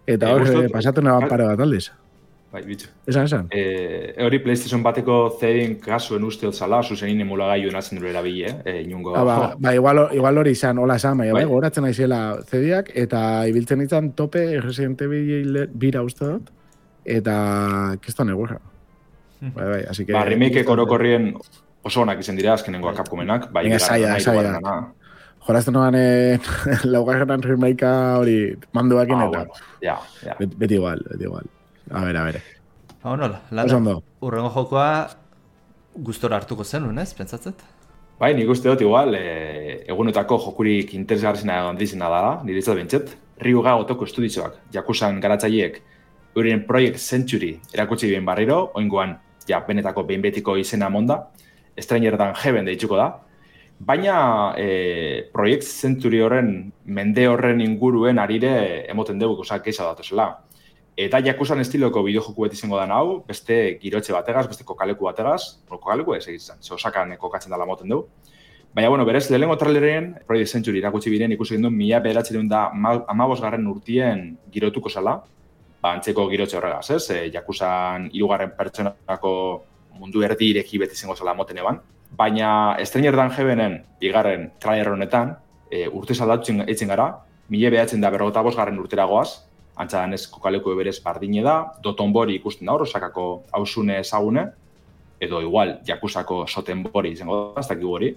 eta hor pasatu neban pare bat aldiz. Bai, bitxo. Esan? Hori PlayStation bateko zein kasuen usteot zala, zuzenin emulagaiuen atzen dure erabili, inungo... Igual hori izan, hola esan, baina goratzen naizela zediak, eta ibiltzen nintzen tope Resident Evil bira uste dut, eta kiston egurra. Bai, así que... remake orokorrien oso onak izan dira azkenengoa Capcomenak, bai, saia. Jolazten noan laugarrenan remakea hori manduakin eta... Ja. Beti igual. A ver. Nola, Landa, urrengo jokoa gustora hartuko zenun, ez, pentsatzet? Bai, nik uste dut igual, egunetako jokurik interesgarrizena handizena dela, niretzat bentsat. Ryuga Otoko estudioak, Yakuzan garatzaileek, euren Project Century erakutsi bien barriro, oingoan, ja, benetako behin betiko izena monda, Stranger than Heaven deitzuko da, baina Project Century horren, mende horren inguruen arire emoten dugu, keisa datuzela. Eta Yakuzan estiloko bideojoku bat izango da hau, beste girotxe bategaz, beste kokaleku bategaz, kokaleku ez egizan, ze Osakan kokatzen dela moten dugu. Baina, bueno, berez, lehenengo traileren Project Century irakutsi biren ikusi genduen 1915 urtien girotuko zela, antzeko girotxe horregaz, ez? Yakuzan 3. pertsonako mundu erdi ireki beti izango zela moten eban. Baina Stranger than Heavenen bigarren trailer honetan, urte zaldatu eitzen gara, 1955 urtera goaz, antza danez kokaleku berez bardine da, Dotonbori ikusten da hor, Osakako hausune ezagune, edo igual Yakuzako Sotenbori izango da, ez dakigu hori.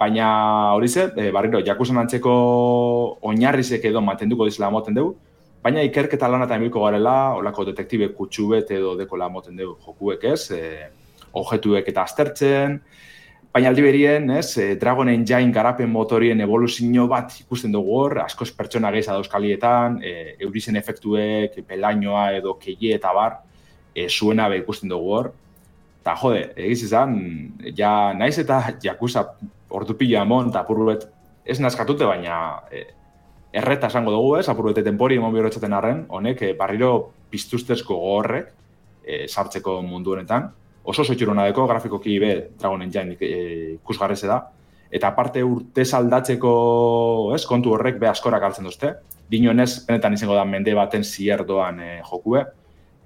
Baina hori ze, barriro, Yakuzan antzeko oinarrizek edo mantenduko dizela moten dugu, baina ikerketa lanatan bilko garela, olako detektibe kutsubet edo dekola moten dugu jokuek ez, objetuek eta aztertzen, baina aldi berien, Dragon Engine garapen motorien evoluzio bat ikusten dugu hor, askoz pertsona gehiza dauzkalietan, eurizen efektuek, pelainoa edo keie eta bar, zuena be ikusten dugu hor. Eta jode, egiz izan, ja naiz eta Yakuza ordupila amon eta apurbet ez nazkatute, baina erreta esango dugu ez, apurbete tenpori emon bihorretzaten arren, honek barriro piztuztezko gogorrek sartzeko mundu honetan. Oso zoitxurona deko, grafikoki be Dragon Engine ikusgarreze da. Eta aparte urte saldatzeko kontu horrek be askorak hartzen duzte. Dinoenez, benetan izango da mende baten zierdoan jokue.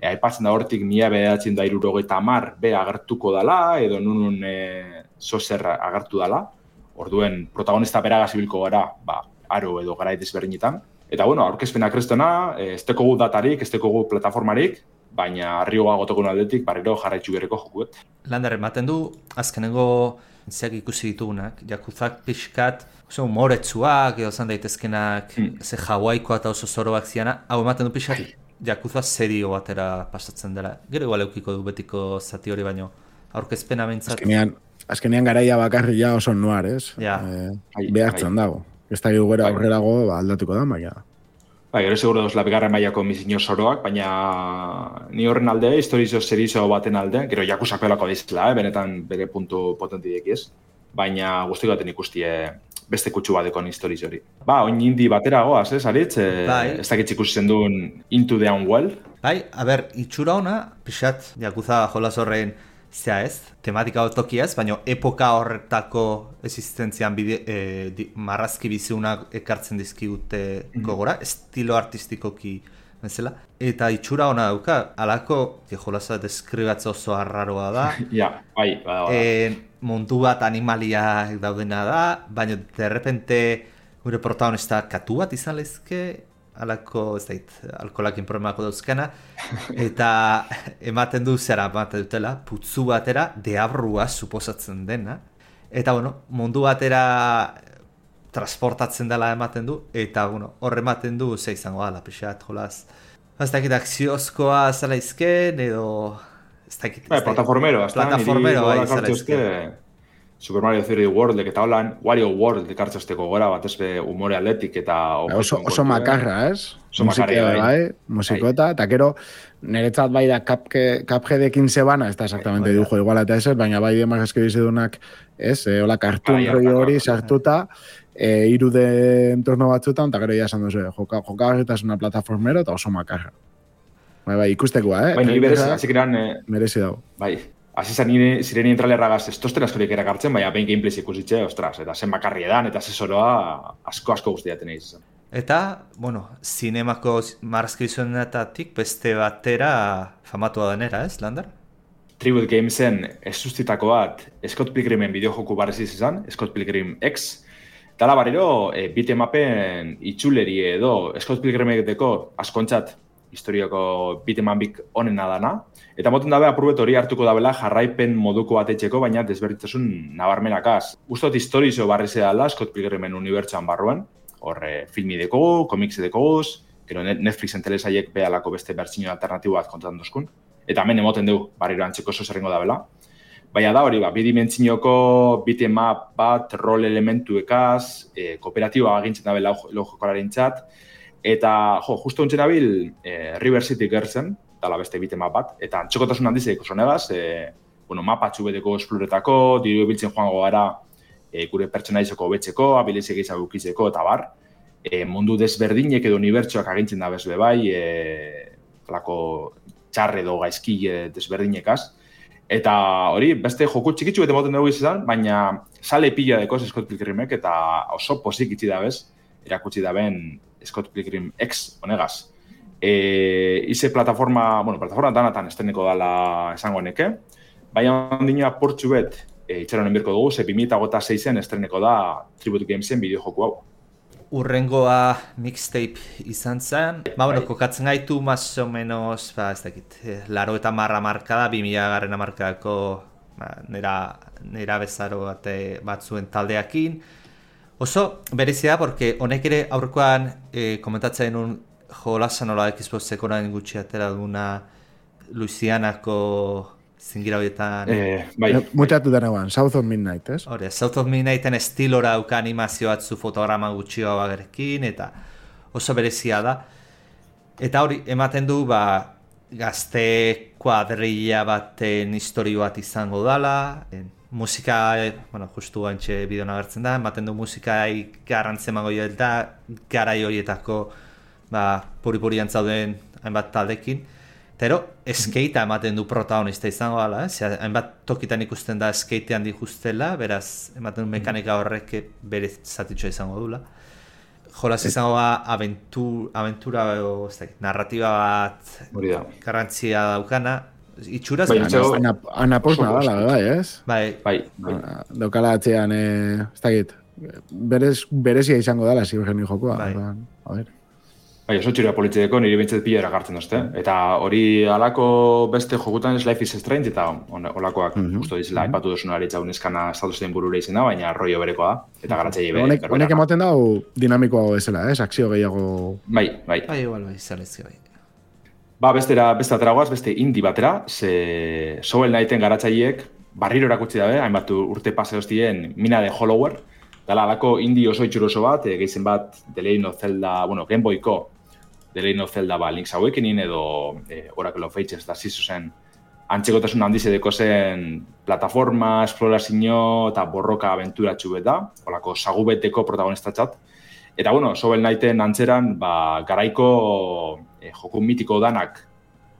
Aipatzen da hortik 1970 be agertuko dala, edo nunun zozer agertu dala. Orduen protagonista beraga zibilko gara, aro edo garai desberdinetan. Eta bueno, aurkezpena kristona, ez tekogu datarik, ez tekogu plataformarik, baina Ryuga Otokon aldetik barriro jarraitzu bereko jokuet. Lander, ematen du, azkenengo zeak ikusi ditugunak, Yakuzak pixkat, umoretsuak, edo zan daitezkenak, ze Hawaikoa eta oso zoroak ziana, hau ematen du pixkat, Yakuza serio batera pasatzen dela. Gero igual eukiko du betiko zati hori baino, aurkezpena bentsat. Azkenean garaia bakarri ja oso noir, ez? Ja. Behartzen dago. Ez da gero aurrerago aldatuko da, baina... Gero seguro dozela bigarren mailako mizinio zoroak, baina ni horren alde, historizo serizo baten alde, gero Yakuzako elako dizela, benetan bere puntu potentiek ez, baina guztik baten ikustie beste kutsu badekon historizo hori. Oin indi batera goaz, Aritz? Ez dakit ikusi zenduen Into the Unwell. Itxura ona, pixat, Yakuza jolas horrein zea ez, tematika otokia ez, baina epoka horretako existentzian marrazki biziunak ekartzen dizkigute gogora, estilo artistikoki bezala. Eta itxura ona dauka, alako, jolasa deskribatze oso arraroa da. Bai. Mundu bat animalia daudena da, baina derrepente gure protagonista katu bat izan lezke, alako, ez dait, alkolakin problemako dauzkana, eta ematen dutela, putzu batera, deabrua suposatzen dena, eta, mundu batera transportatzen dela ematen du, eta, horre ematen du, ze izango da, pixat, jolaz, ez dakit akziozkoa zela izken, edo, ez dakit... Plataformero, bai, zela izken. Super Mario 3D World, eta holan, Wario World ekartzazteko gora, bat ezbe humore atletik eta... Oso makarra, ez? Oso makarra, bai. Musikota, eta kero, niretzat bai da Cupheadekin zebana, ez da exactamente dibujo igual eta ez, baina bai demak eskibizidunak, ez? Hola, kartun hori sartuta, irude entorno batzutan, eta gero ya esan duzu, jokagarritasuna plataformero eta oso makarra. Bai, ikustekoa, Bai, niri berez, hasik eran... Merezi dago. Bai. Azizan zirenien trailerragaz ez tosten askorik erakartzen, baina behin gameplays ikusitxe, ostras, eta zen bakarri edan, eta zezoroa asko guztiaten egin zen. Eta, zinemako marrazki bizuenetatik beste batera famatua denera, ez, Lander? Tribute Gamesen ez sustitako bat Scott Pilgrimen bideojoku barreziz izan, Scott Pilgrim X, dala barriro, beatemapen itxuleri edo Scott Pilgrimeko askontzat historiako beatemapik onena dana, eta moten dabe apurbet hori hartuko dabela jarraipen moduko bat etxeko, baina desberditasun nabarmenakaz. Uztot historizo barrize dala Scott Pilgrimen unibertsuan barruan, horre filmi dekogu, komiksi dekoguz, gero Netflixen telesaiek behalako beste bertsino alternatibo bat kontatan duzkun, eta hemen emoten dugu barriro antzeko oso zerrengo dabela. Baina da hori, bidimentsioko bitmap bat, rol elementuekaz, kooperatiba agintzen dabe lau jokolarentzat, eta, justo ontzen dabil, River City Girlsen, dala beste bitmap bat, eta antxokotasun handizeko zonegaz, mapa txubeteko esploretako, diru biltzen joango gara, gure pertsonaizoko betzeko, abilizek izan gukizeko, eta bar, mundu desberdinek edo unibertsuak agintzen da bezbe bai, txarre edo gaizki desberdinekaz. Eta hori, beste joku txikitsu bete moten dugu izan, baina sale pila dekoz Scott Pilgrimek, eta oso pozik itxi dabez, erakutsi daben Scott Pilgrim X honegaz. Ize plataforma danatan estreneko dala esango neke, baina ondina portxu bet itxaronen birko dugu, 2006en estreneko da Tribute Gamesen bideo joku hau. Urrengoa mixtape izan zen. Kokatzen gaitu, más o menos, ez dakit, 80 markada, 2000 garren markadako nera bezaro batzuen taldeakin. Oso berezia, porque honek ere aurrekoan komentatzen un jolasan nola Xboxeko nahin gutxi atera duguna Louisianako zingira horietan... Mutatu denean, South of Midnight, ez? Hore, South of Midnighten estilora auka animazio batzu fotograma gutxioa bagerekin, eta oso berezia da. Eta hori, ematen du, gazte kuadrilla baten historio bat izango dala, musika, justu gantxe bideon agertzen da, ematen du musikai garrantzen mago da, garai horietako puri-puri antzauden hainbat taldekin. Pero, skate ematen du protagonista izango dala, hainbat tokitan ikusten da skatean dikustela, beraz, ematen du mekanika horrek bere zatitxoa izango dula. Jolas izango aventura o narratiba bat garrantzia daukana, itxuraz... Anaposna dala, bai, ez? Bai. Daukala atzean, ez dakit, berezia izango dala, zibergeni jokoa. A ver. Bai, oso txura politzeko niri bintzat pila erakartzen dozte. Eta hori alako beste jokutan Life is Strange eta olakoak justo dizela, aipatu duzun aritza uneskana estatuzen burura izena, baina rollo berekoa da, eta garatzaile bere. Honek ematen dau dinamikoago ezela, akzio gehiago... Bai. Igual, zalezki bai. Beste ateragoaz, beste indie batera, ze Shovel Knighten garatzaileek barriro erakutsi dabe, hainbat urte pase hostien Mina de Hollower, dala alako indie oso itxuroso bat, gehizen bat The Legend of Zelda, Game Boyko, The Legend of Zelda Link's Awakening edo Oracle of Ages da zizuzen antzekotasun handiz edeko zen plataforma, esplorazio eta borroka abenturatxu bet da, olako sagubeteko protagonistatzat. Eta, Shovel Knighten antzeran, garaiko joku mitiko danak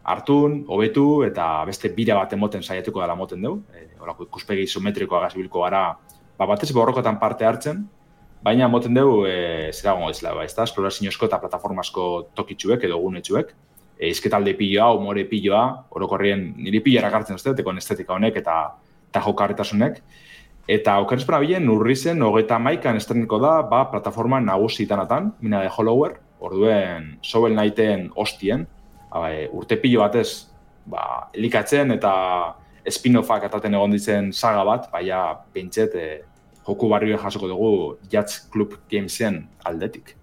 hartun, hobetu eta beste bira bat emoten saiatuko dela moten dugu. Olako ikuspegi isometrikoa gazibilko gara, batez borrokotan parte hartzen, baina moten dugu zera gongo dizela, esploraziosko eta plataformasko tokitxuek edo gunetxuek. Izketalde piloa, humore piloa, orokorrien niri pilara gartzen duzte, tekon estetika honek eta jokarretasunek. Eta okerrezpena bilen, urrizen, 31an estreniko da, plataforma nagusi itanatan, Mina de Hollower, orduen Shovel Knighten hostien, urte pilo batez, elikatzen eta spin-offak ataten egon ditzen saga bat, baina pentset joku barrio jasoko dugu Jazz Club Gamesen aldetik.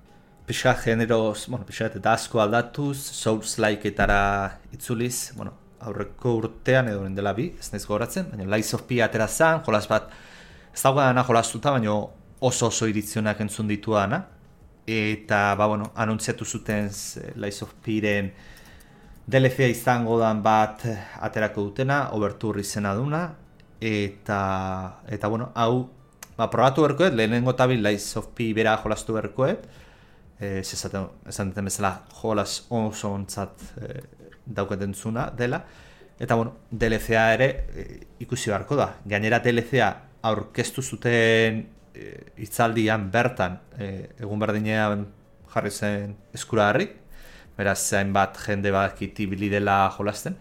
Pixka generoz, pixka eta asko aldatuz, Souls-like-etara itzuliz, aurreko urtean edo dela bi, ez naiz gogoratzen, baina Lies of P atera zen, jolas bat, ez dagoena jolastuta, baina oso irizionak entzun dituana, eta, anuntziatu zuten Lies of P-ren DLC izango dan bat aterako dutena, Overture izena duna, eta hau, probatu berkoet, lehenengo tabil Lies of P bera jolastu berkoet, esan duten bezala jolas oso ontzat daukaten zuna dela, eta DLC-a ere ikusi beharko da. Gainera DLC-a aurkeztu zuten hitzaldian bertan, egun berdinean jarri zen eskuragarri, beraz hainbat jende bakiti bili dela jolasten.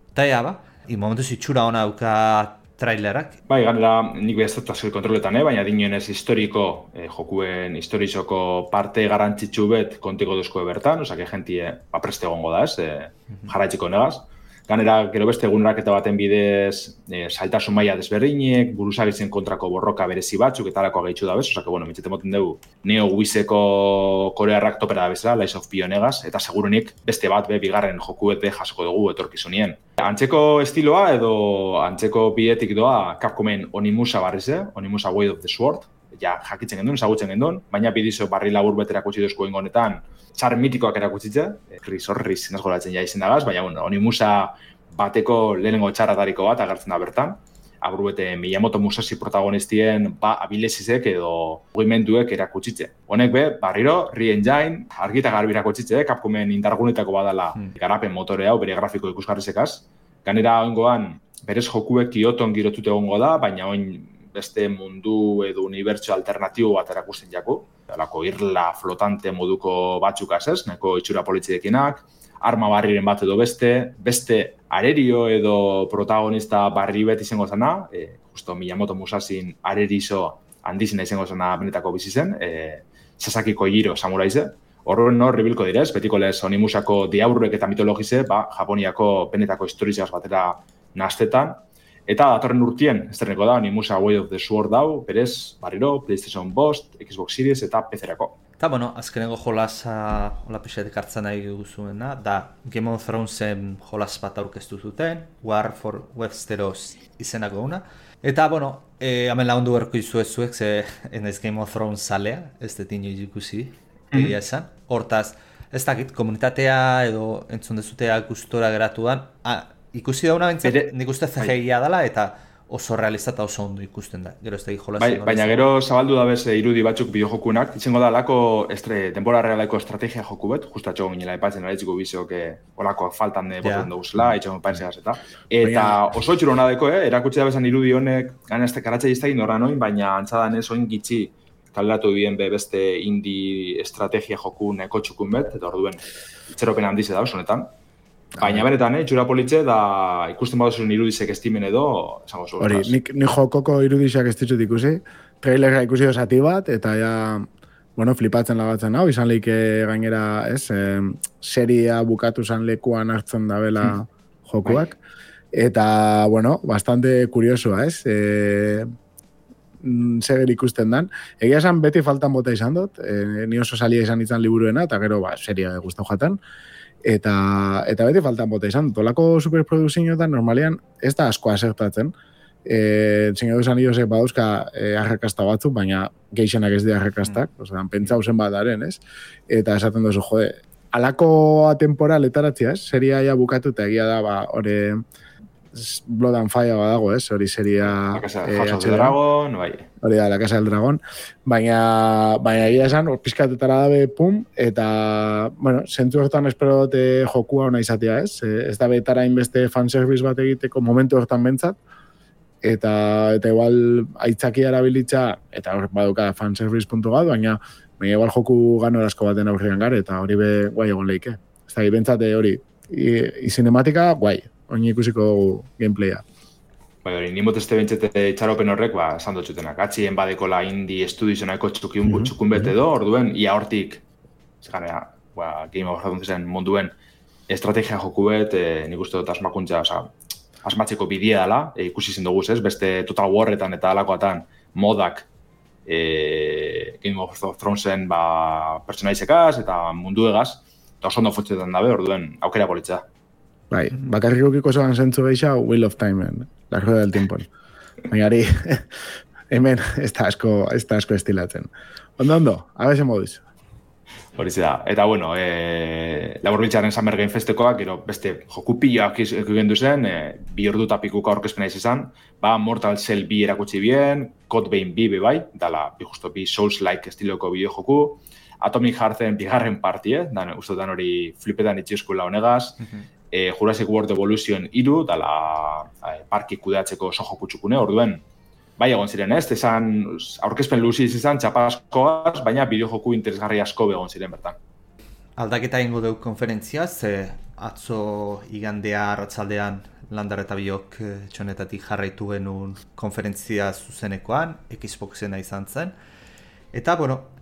Eta momentuz itxura hona dauka trailerak. Bai, ganera nik behaztatu azkel kontroletan, baina dinoenez historiko, jokuen historizoko parte garantzitsu bet kontiko duzko bertan, osake jentie preste egongo da, jarraitziko negaz. Ganera, gero beste eguneraketa baten bidez zailtasun maila desberdinek, buruzagitzen kontrako borroka berezi batzuk, eta alako gehitxu da bez, osake, bueno, mitxete moten dugu, Neo Wizeko korearrak topera da bezala, Lies of P honegaz, eta segurunik beste bat, bigarren jokuet jasoko dugu etorkizunien. Antzeko estiloa edo antzeko bietik doa Capcomen Onimusa barriz, Onimusa Way of the Sword, ja jakitzen gendun, ezagutzen gendun, baina bidizo barri labur betera kutsi duzko ingonetan, txar mitikoak erakutzitze, Riz nazgolatzen ja izen dagaz, baina bueno, Onimusa bateko lehenengo txarratariko bat agertzen da bertan. Aburbete Miyamoto Musashi protagonistien abilezizek edo mugimenduek erakutsitze. Honek barriro, Re-Engine, argita garbi erakutsitze, Capcomen indargunetako badala garapen motore hau, bere grafiko ikusgarrizekaz. Ganera oingoan, berez jokuek Kyoton girotute egongo da, baina oin beste mundu edo unibertsio alternatibo bat erakusten jaku. Alako irla flotante moduko batzukaz ez, neko itxura politzidekinak, arma barriren bat edo beste arerio edo protagonista barri bet izango zena, justo Miyamoto Musashin arerizo handizena izango zena benetako bizi zen, Sasaki Kojiro samuraize. Horren ribilko direz, betiko lez Onimusako diaurrek eta mitologize, Japoniako benetako historizaz batera naztetan. Eta datorren urtien, ez derneko da, Onimusa Way of the Sword dau, berez, barriro, PlayStation 5, Xbox Series eta PC-erako. Eta, bueno, azkenengo jolasa, hola pixetik hartzen nahi guzuena, da Game of Thronesen jolas bat aurkeztu zuten, War for Westeros izenako una. Eta, bueno, hemen lagundu berko izuezuek, ze enaiz Game of Thrones salea, ez detin joiz ikusi, egia esan. Hortaz, ez dakit, komunitatea edo entzun dezutea gustora geratuan, ikusi dauna bentzat, nik uste CGI-a dela eta oso realista oso ondo ikusten da. Gero ez da jolazen. Baina gero zabaldu da bez irudi batzuk bideojokunak, izango da lako denbora realako estrategia joku bet, justa txogo ginela epatzen araitxiko bizeok olako faltan boten duguzela, itxago paizegaz eta. Eta oso txuro nadeko, erakutsi da bezan irudi honek, gana ez tekaratza iztegin horra noin, baina antzadan ez oin gitxi kaleratu bien beste indie estrategia joku neko txukun bet, eta orduen itxeropen handize da, honetan. Baina benetan, itxura politxe, da ikusten baduzun irudizek estimen edo, esango zu. Hori, nik jokoko irudizak ez ditut ikusi, trailerra ikusi dozati bat, eta ja, bueno, flipatzen lagatzen hau, izan leike gainera, ez, seria bukatu zan lekuan hartzen dabela jokuak, eta, bueno, bastante kuriosoa, ez, seger ikusten dan. Egia esan beti faltan bota izan dut, ni oso salia izan itzan liburuena, eta gero, seria guztau jatan, eta beti faltan bota izan. Tolako superproduzioetan normalean ez da asko asertatzen. Señor dos Anillosek badauzka arrakasta batzuk, baina geixenak ez dira arrakastak, pentsa zen bat daren, ez? Eta esaten duzu, jode, alako temporal etaratzea, ez? Seria ja bukatu eta egia da, hori Blood and Fire badago, ez? Hori seria... La Casa del Dragon, bai. Hori da, La Casa del Dragon. Baina egia esan, pizkatetara dabe, pum, eta, bueno, zentzu hortan espero dute jokua ona izatea, ez? Ez da betara inbeste fanservice bat egiteko momentu hortan bentsat, eta igual aitzaki erabilitza, eta hor baduka fanservice puntu bat, baina igual joku ganorazko baten aurrean gare, eta hori be guai egon leike. Ez da, bentsate hori, cinematika guai. Oin ikusiko gameplaya. Bai, hori, nimot ez tebentzete itxaropen horrek, esan dutxutenak, atxien badekola indie estudizionako txukun bete do, orduen, ia hortik, zeganea, Game of Thronesen munduen estrategia joku bet, nik uste dut asmakuntza, asmatzeko bidea dela, ikusi zen duguz ez, beste Total Warretan eta alakoatan modak Game of Thronesen pertsonaizekaz eta munduegaz, eta oso ondo futzetan dabe, orduen, aukera politza. Bai, bakarrik ukiko zoan zentzu geisha Wheel of Time, la rueda del tiempo. Baina hori, hemen ez da asko estilatzen. Ondo, abese moduz. Hori da. Eta bueno, Laburbiltzaren Summer Game Festekoak, gero beste joku piloak ikugendu zen, 2 ordu eta pikuka aurkezpena izan, Mortal Shell 2 erakutsi bien, Code Vein 2 bai, dala, justo bi Souls-like estiloko bideo joku, Atomic Heartsen bigarren partie, uste dan hori flipetan itxioskula honegaz, Jurassic World Evolution 3, dala parki kudeatzeko oso joku txukune, orduen, bai egon ziren ez, esan aurkezpen luzi izan, txapa askoaz, baina bideo joku interesgarri asko egon ziren bertan. Aldaketa ingo dugu konferentzia, ze atzo igandea arratsaldean Landar eta biok txonetatik jarraitu genuen konferentzia zuzenekoan, Xboxena izan zen, Eta,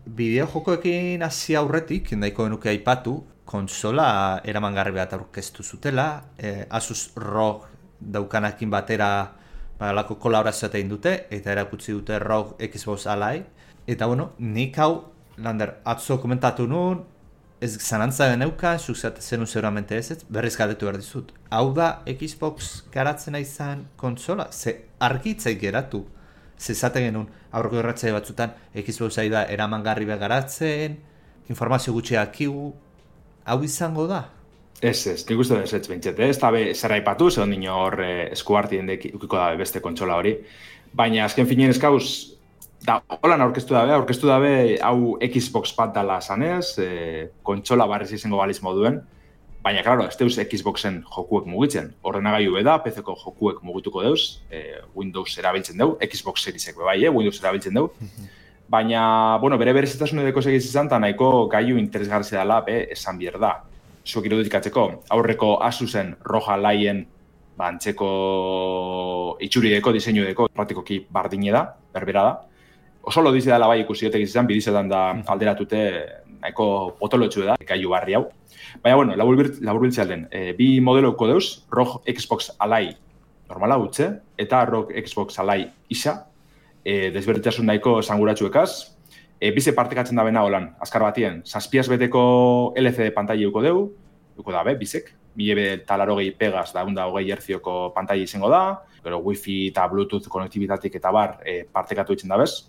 bideojokoekin hasi aurretik, nahiko genuke aipatu, konsola eramangarri bat aurkeztu zutela, Asus ROG daukanakin batera lako kolaborazioa egin dute, eta erakutsi dute ROG Xbox Ally. Eta, nik hau, Lander, atzo komentatu nun, ez zanantza deneukan, zenun seguramente ez, berriz galdetu behar dizut. Hau da Xbox garatzena izan konsola? Ze argitzaik geratu. Ze zaten genuen aurreko erratzaile batzutan Xbox da eramangarri garatzen, informazio gutxi akigu, hau izango da? Ez, nik uste ez bentset, ez da zer aipatu, zegoen dino hor eskuartien ukiko da beste kontsola hori. Baina azken finien eskauz, da, holan aurkeztu dabe hau Xbox bat dala zanez, kontsola barriz izango baliz moduen, baina, klaro, ez deuz Xboxen jokuek mugitzen. Ordenagailu beda, PC-ko jokuek mugituko deuz, Windows erabiltzen deu, Xbox Seriesek bai, Windows erabiltzen deu. Baina, bere berezitasunedeko segiz izan, eta nahiko gaiu interesgarri dela, esan bier da. Zuek irudikatzeko, aurreko Asusen ROG Allyen antzeko itxurideko, diseinudeko, praktikoki bardine da, berbera da. Oso lo dizi dela bai ikusi otegiz izan, bidizetan da alderatute nahiko potolotxu da, gaiu barri hau. Baina, laburbiltzea alden, bi modeloko deuz, ROG Xbox Ally normala utze, eta ROG Xbox Ally isa, desberditasun nahiko esanguratxuekaz, bize partekatzen da bena holan, azkar batien, 7 beteko LCD pantaila uko deu, uko dabe, bizek, 1080 pegaz da 120 hertzioko pantaila izango da, gero Wi-Fi eta Bluetooth konektibitatik eta bar partekatu itzen da bez.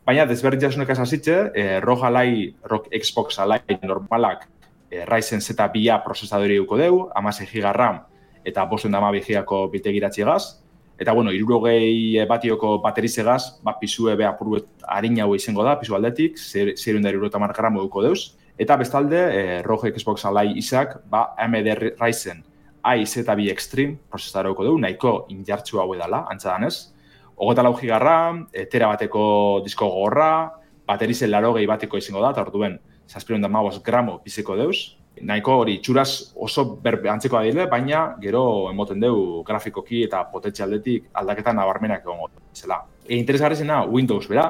Baina, desberditasunek azazitze, ROG Xbox Ally normalak Ryzen Z2A prozesadori uko deu, 16 GB RAM eta 512 GB biltegiratziegaz. Eta, 60 batioko baterizegaz, pisue apurruet harina hau izango da, pisu aldetik, 670 gramo duko deuz. Eta bestalde, ROG Xbox Ally izak, AMD Ryzen i-Z2 Extreme prozesadora duko deu, nahiko injartxua hau edala, antzadanez. 24 GB RAM, tera bateko disko gogorra, baterizen 80 bateko izango da, eta orduen 715 gramo biziko deuz. Nahiko hori txuraz oso antzeko adile, baina gero emoten deu grafikoki eta potentzialdetik aldaketa nabarmenak egongo zela. Interesgarri zena Windows, bera?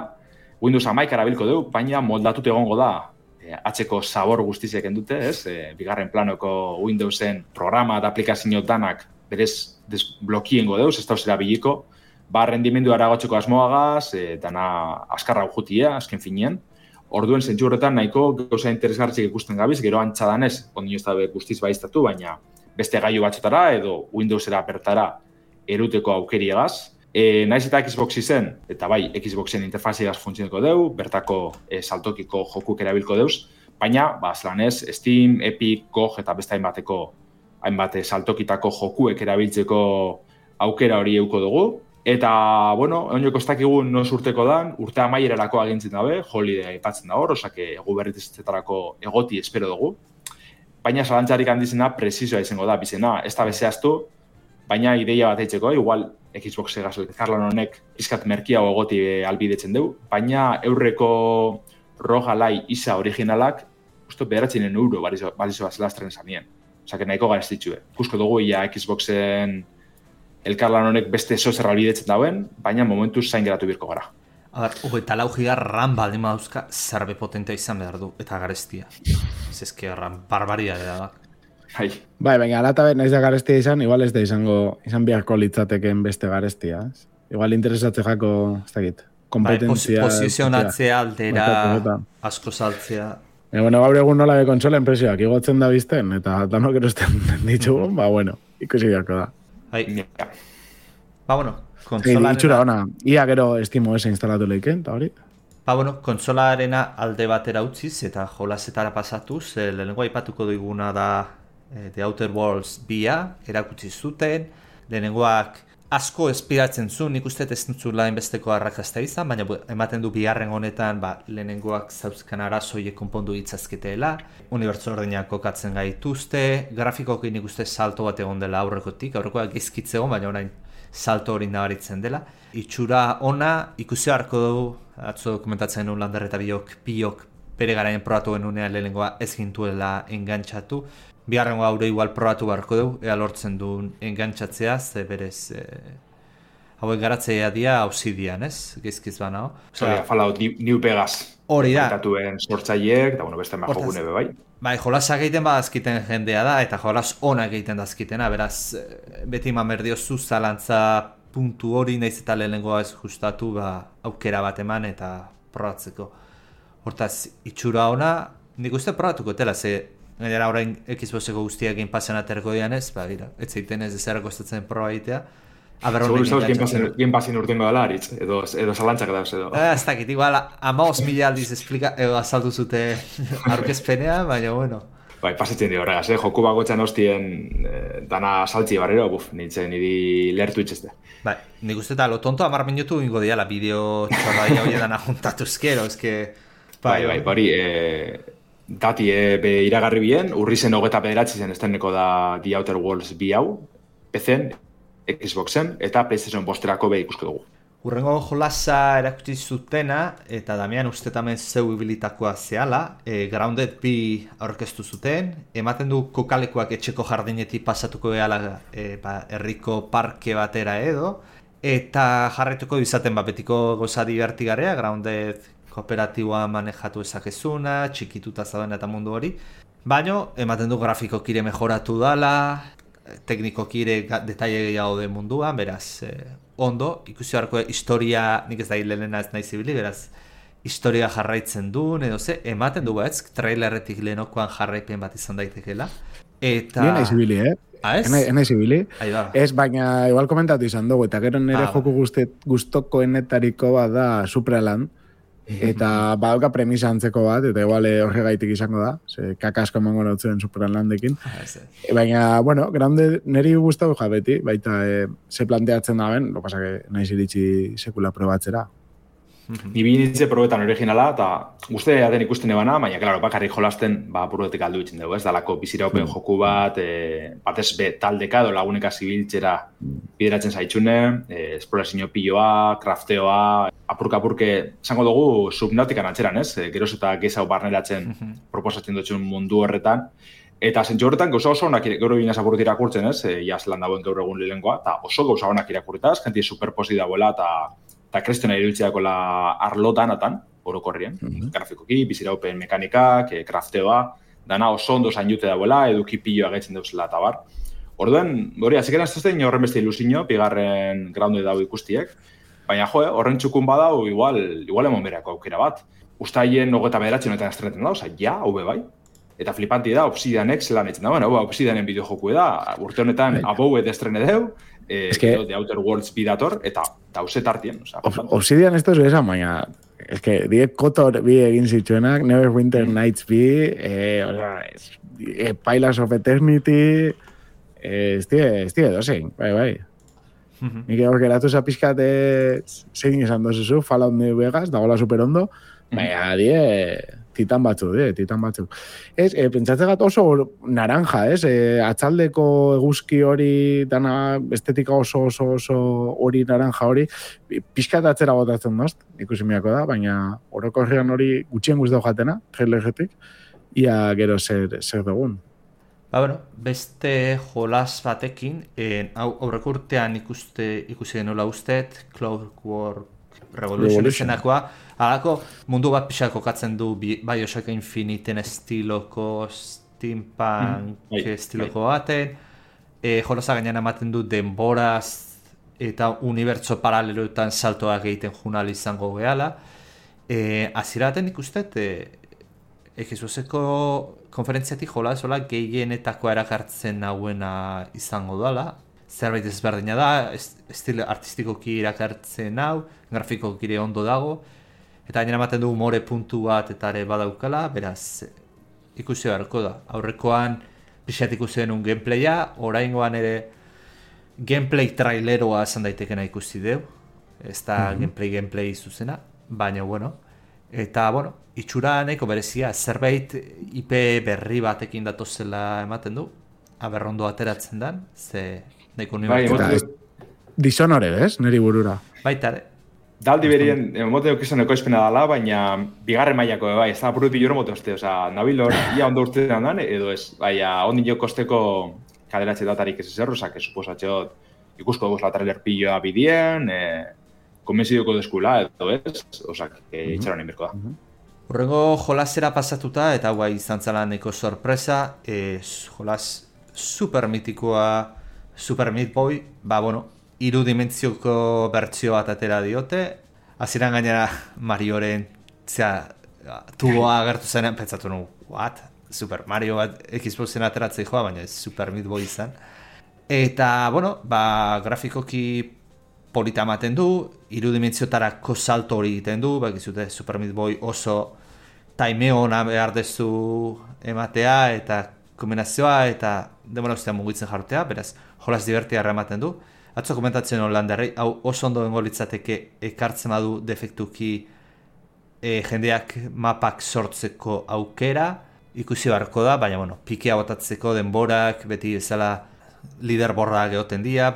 Windows 11 erabilko deu, baina moldatut egongo da atzeko sabor guztizek endute, ez? Bigarren planoko Windowsen programa eta aplikazio danak berez desblokiengo deuz, ez da zera biliko, rendimendu aragotzeko asmoagaz, dana askarra jutia, azken finean. Orduen zentzu horretan nahiko gauza interesgartzik ikusten gabiz, gero antzadanez, ondino ez da guztiz baiztatu, baina beste gailu batzutara edo Windowsera bertara eruteko aukeriegaz. Naiz eta Xbox izen, eta bai, Xboxen interfaziagaz funtzioneko deu, bertako saltokiko jokuk erabilko deuz, baina, zelanez, Steam, Epic, GOG eta beste hainbat saltokitako jokuek erabiltzeko aukera hori euko dugu. Eta, oinoko ez dakigun nos urteko dan, urte amaierarako agintzen dabe, holiday aipatzen da hor, osake egu berritzetarako egoti espero dugu. Baina salantzarik handizena presizoa izango da, bizena, ez da bezeaztu, baina ideia bat eitzeko, igual Xbox egazoi, Karlan honek pizkat merkiago egoti albidetzen dugu, baina eurreko ROG Ally isa originalak, usto €9 balizo zelastren zanien. Osake nahiko garestitxue. Kusko dugu ia Xboxen elkarlan honek beste zozer albidetzen dauen, baina momentuz zain geratu birko gara. Eta 4 GB RAM baldin dauzka zerbe potentea izan behar du, eta garestia. Zezke RAM, barbaria da. Bai, baina alata naiz da garestia izan, igual ez da izan biharko litzateken beste garestia. Igual interesatze jako, ez dakit, kompetentzia. Posizionatzea aldera, asko saltzea. Gaur egun nola konsola enpresioak igotzen da bizten, eta danok erosten ditugu, ikusi biharko da. Konsolarena... Itxura ona, ia gero Steam OS instalatu lehiken, eta hori? Konsolarena alde batera utziz eta jolasetara pasatuz, lehenengo aipatuko duiguna da The Outer Worlds 2 erakutsi zuten, lehenengoak asko espiratzen zuen, nik uste ez nutzula inbesteko arrakasta izan, baina ematen du bigarren honetan lehenengoak zauzkan arazoiek konpondu ditzazketeela, unibertso ordenak kokatzen gaituzte, grafikoki nik uste salto bat egon dela aurrekotik, aurrekoak gizkitzegon, baina orain salto hori nabaritzen dela. Itxura ona, ikusi harko dugu, atzo dokumentatzen genuen Lander eta biok bere garaien probatu genunean lehenengoa ez gintuela engantxatu. Bigarrengoa haure igual probatu beharko dugu, ea lortzen duen engantxatzea, ze berez hauek garatzeia dia Obsidian, ez? Gizkiz banao. Fallout New Vegas. Hori da. Aitatuen sortzaileek, eta beste jokune be bai. Bai, jolasak egiten badazkiten jendea da, eta jolas onak egiten dazkitena, beraz, beti mamerdiozu zalantza puntu hori nahiz eta lehenengoa ez justatu, aukera bat eman eta probatzeko. Hortaz, itxura ona, nik uste probatuko etela, ze gainera orain Xboxeko guztiak Game Passan aterko dian ez, ez zeiten ez ezera kostatzen proba egitea. Segur Game Passin urtengo dela aritz, edo zalantzak dauz edo. Ez dakit, igual, 15.000 aldiz azaldu zute aurkezpenea, baina bueno. Bai, pasatzen dio horregaz, joku bagotxan hostien dana saltzi barrero, nintzen niri lertu itxezte. Bai, nik uste eta lo tonto 10 minutu ingo diala bideo txorraia hori dana juntatu eskero, eske... Bai, hori, dati be iragarri bien, urrizen 29 zen esteneko da The Outer Worlds 2 hau, PC-en, Xboxen, eta PlayStation posterako be ikusko dugu. Urrengo jolasa erakutsi zutena, eta Damian uste tamen zeu ibilitakoa zehala, Grounded 2 aurkeztu zuten, ematen du kokalekuak etxeko jardinetik pasatuko gehala herriko parke batera edo, eta jarraituko izaten betiko goza divertigarea, Grounded kooperatiboa manejatu ezakezuna, txikituta zauden eta mundu hori, baino ematen du grafikokire mejoratu dala, teknikokire detaile gehiago den munduan, beraz, ondo, ikusi beharko historia, nik ez da hilena ez nahi zibili, beraz, historia jarraitzen duen, edo ze, ematen du ez, trailerretik lehenokoan jarraipen bat izan daitekela. Eta... Nien nahi zibili, Ez? Nahi zibili. Ez, baina igual komentatu izan dugu, eta gero nire joku guztokoenetariko bat da Supraland, eta badauka premisa antzeko bat, eta igual horregaitik izango da, kakasko emango nautzen Supralandekin. Baina, bueno, grande niri gustatu beti, baita ze planteatzen da ben, lo pasa que naiz iritsi sekula probatzera. Ni binitze probetan originala, eta guztia den ikusten ebana, baina, klaro, bakarrik jolasten, probetik aldu itzen dugu, ez dalako biziraupen joku bat, batez taldeka edo laguneka zibiltzera bideratzen zaitxune, esplorazio piloa, crafteoa, apurka-apurke, esango dugu subnautikan atxeran, ez? Geroz eta gezau barneratzen proposatzen dutxun mundu horretan, eta zentzu horretan gauza oso onak gaur egin azapurut irakurtzen, ez? Iazlan dagoen gaur egun lehenkoa, eta oso gauza onak irakurtaz, jentie superposi dagoela, eta krestena iruditzeko arlotan, orokorrien, grafikoki, biziraupen mekanikak, crafteoa, dana oso ondo zain jute dagoela, eduki piloa gaitzen dauzela eta bar. Orduen, hori, azikera ez zein horren beste ilusiño, bigarren Grounded dago ikustiek, baina horren txukun badau, igual emon berako aukera bat. Uztaien 29 honetan estreten da, hau bai. Eta flipanti da, Obsidianek zelan etzen da, Obsidianen bideojoku da, urte honetan abouet estrene deu, The Outer Worlds bidator, eta dauze tartien. Obsidian esto es esan, baina, die Kotor bi egin zitzuenak, Neverwinter Nights bi, Pillars of Eternity, estie dozein, bai. Nik hor geratu zapizkat zein esan dozuzu, Fallout New Vegas, dagoela superondo, baina titan batzuk. Pentsatzegat oso naranja, atzaldeko eguzki hori, dana estetika oso hori naranja hori, pixkat atzera botatzen dozt, ikusi miako da, baina orokorrean hori gutxien guztau jatena, trailerretik, ia gero zer dugun. Beste jolas batekin, aurreko urtean ikusi denola ustet, Clockwork Revolution izenakoa, halako mundu bat pixak kokatzen du Bioshock Infiniten estiloko, steampunk estiloko baten, jolasa gainean ematen du denboraz eta unibertso paraleloetan saltoak egiten junal izango gehala. Aziraten ikustet, Xboxeko konferentziatik jolas gehienetako erakartzen nauena izango dela. Zerbait ezberdina da, estilo artistikoki irakartzen hau, grafikoki ondo dago, eta gainera ematen du umore puntu bat eta ere badaukala, beraz ikusi beharko da. Aurrekoan pixat ikusi denun gameplaya, oraingoan ere gameplay traileroa esan daitekena ikusi deu, ez da gameplay zuzena, baina eta itxura nahiko berezia, zerbait IP berri batekin datozela ematen du, aberrondo ateratzen dan, ze nahiko unibertsu. Dishonored, ez? Neri burura. Baitare. Daldi berien, mote okizan ekoizpena dala, baina bigarren mailako bai, ez da buruti joro mote oste, nabilor, ia ondo urtean dan, edo ez, baina ondin jo kosteko kaderatxe datarik ez ezerro, que suposatxot ikusko dugu trailer pilloa bidien, konbentziduko deskula, edo ez, osak, itxaron inberko da. Hurrengo jolasera pasatuta, eta guai izan zela neko sorpresa, jolas super mitikoa, Super Meat Boy, irudimentzioko bertsio bat atera diote, hasieran gainera Marioren, tuboa agertu zenean, pentsatu nu, what? Super Mario bat Xboxen ateratzei joa, baina ez Super Meat Boy izan. Eta, grafikoki polita ematen du, irudimentziotarako salto hori egiten du, bakizute Super Meat Boy oso taimeo ona behar dezu ematea, eta kombinazioa, eta demora ustean mugitzen jartea, beraz, jolas divertiarra ematen du. Atzo komentatzen Holandarrei, hau oso ondo bengo litzateke ekartzen badu defektuki jendeak mapak sortzeko aukera, ikusi beharko da, baina, pikea botatzeko denborak, beti ezala liderborra geoten dia,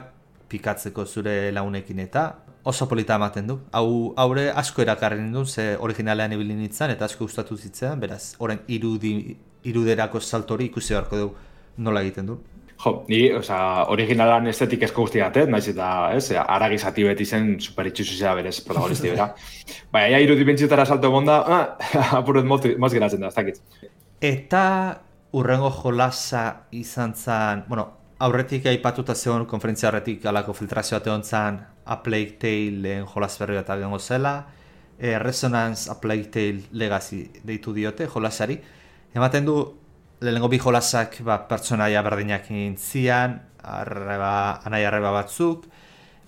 pikatzeko zure launekin eta oso polita ematen du. Haure asko erakarri nindun, ze originalean ibili nintzen, eta asko gustatu zitzen, beraz, orain iruderako saltori ikusi beharko du nola egiten du. Jo, ni, originalan estetik esko guztiatet, naiz eta, aragizati beti zen superitxusuzea berez protagonisti bera. Baina, irudimentziotara salto egonda, apuret moz geratzen da, ez dakit. Eta urrengo jolasa izan zen, aurretik aipatuta zegoen konferentzia horretik alako filtrazio bat egon zen A Plague Tale jolas berri bat agengo zela, Resonance A Plague Tale Legacy deitu diote jolasari. Ematen du, lehenengo bi jolasak pertsonaia berdinak intzian, anai arreba batzuk,